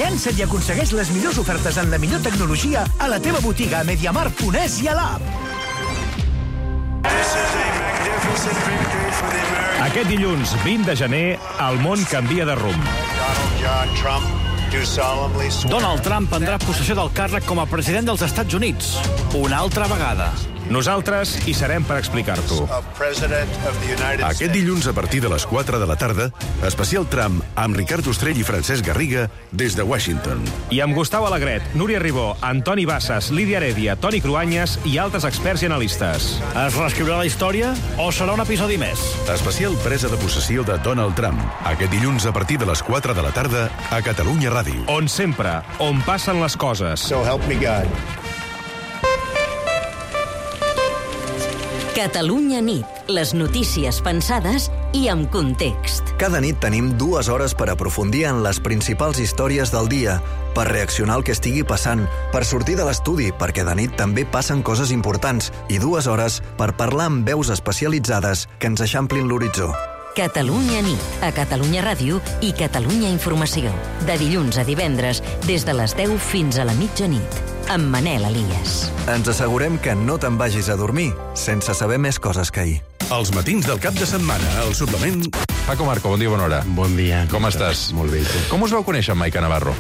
Llança't i aconsegueix les millors ofertes en la millor tecnologia a la teva botiga a mediamar punt es i a l'app. Aquest dilluns, vint de gener, el món canvia de rumb. Donald Trump prendrà possessió del càrrec com a president dels Estats Units. Una altra vegada. Nosaltres hi serem per explicar-t'ho. Aquest dilluns, a partir de les quatre de la tarda, especial tram amb Ricard Ostrell i Francesc Garriga des de Washington. I amb Gustau Alegret, Núria Ribó, Antoni Bassas, Lídia Heredia, Toni Cruanyes i altres experts i analistes. Es reescriurà la història o serà un episodi més? Especial presa de possessió de Donald Trump. Aquest dilluns, a partir de les quatre de la tarda, a Catalunya Ràdio. On sempre, on passen les coses. So help me God. Catalunya nit. Les notícies pensades i amb context. Cada nit tenim dues hores per aprofundir en les principals històries del dia, per reaccionar al que estigui passant, per sortir de l'estudi, perquè de nit també passen coses importants, i dues hores per parlar amb veus especialitzades que ens eixamplin l'horitzó. Catalunya nit, a Catalunya Ràdio i Catalunya Informació. De dilluns a divendres, des de les deu fins a la mitjanit. Amb Manel Elias. Ens assegurem que no te'n vagis a dormir sense saber més coses que ahir. Els matins del cap de setmana, al suplement... Paco Marco, bon dia, bona hora. Bon dia. Com estàs? Molt bé, tu. Com us vau conèixer amb Maica Navarro?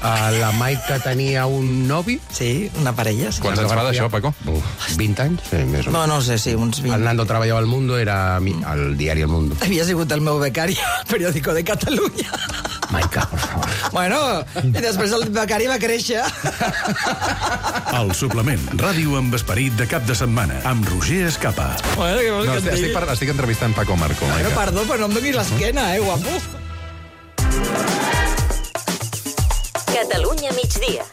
Uh, la Maica tenia un novi. Sí, una parella. Sí. Quants anys fa d'això, Paco? Uf, vint anys? Sí, més o no, no sé, sí, uns vint. El Nando treballava al Mundo, era al diari El Mundo. Havia sigut el meu becari al periòdico de Catalunya. Maica, per favor. Bueno, i després el becari va créixer. El suplement, ràdio amb esperit de cap de setmana, amb Roger Escapa. Bueno, què vols no, que et estic, digui? per, estic entrevistant Paco Marco, Maica. Bueno, perdó, però no em donis l'esquena, eh, guapo. Catalunya migdia.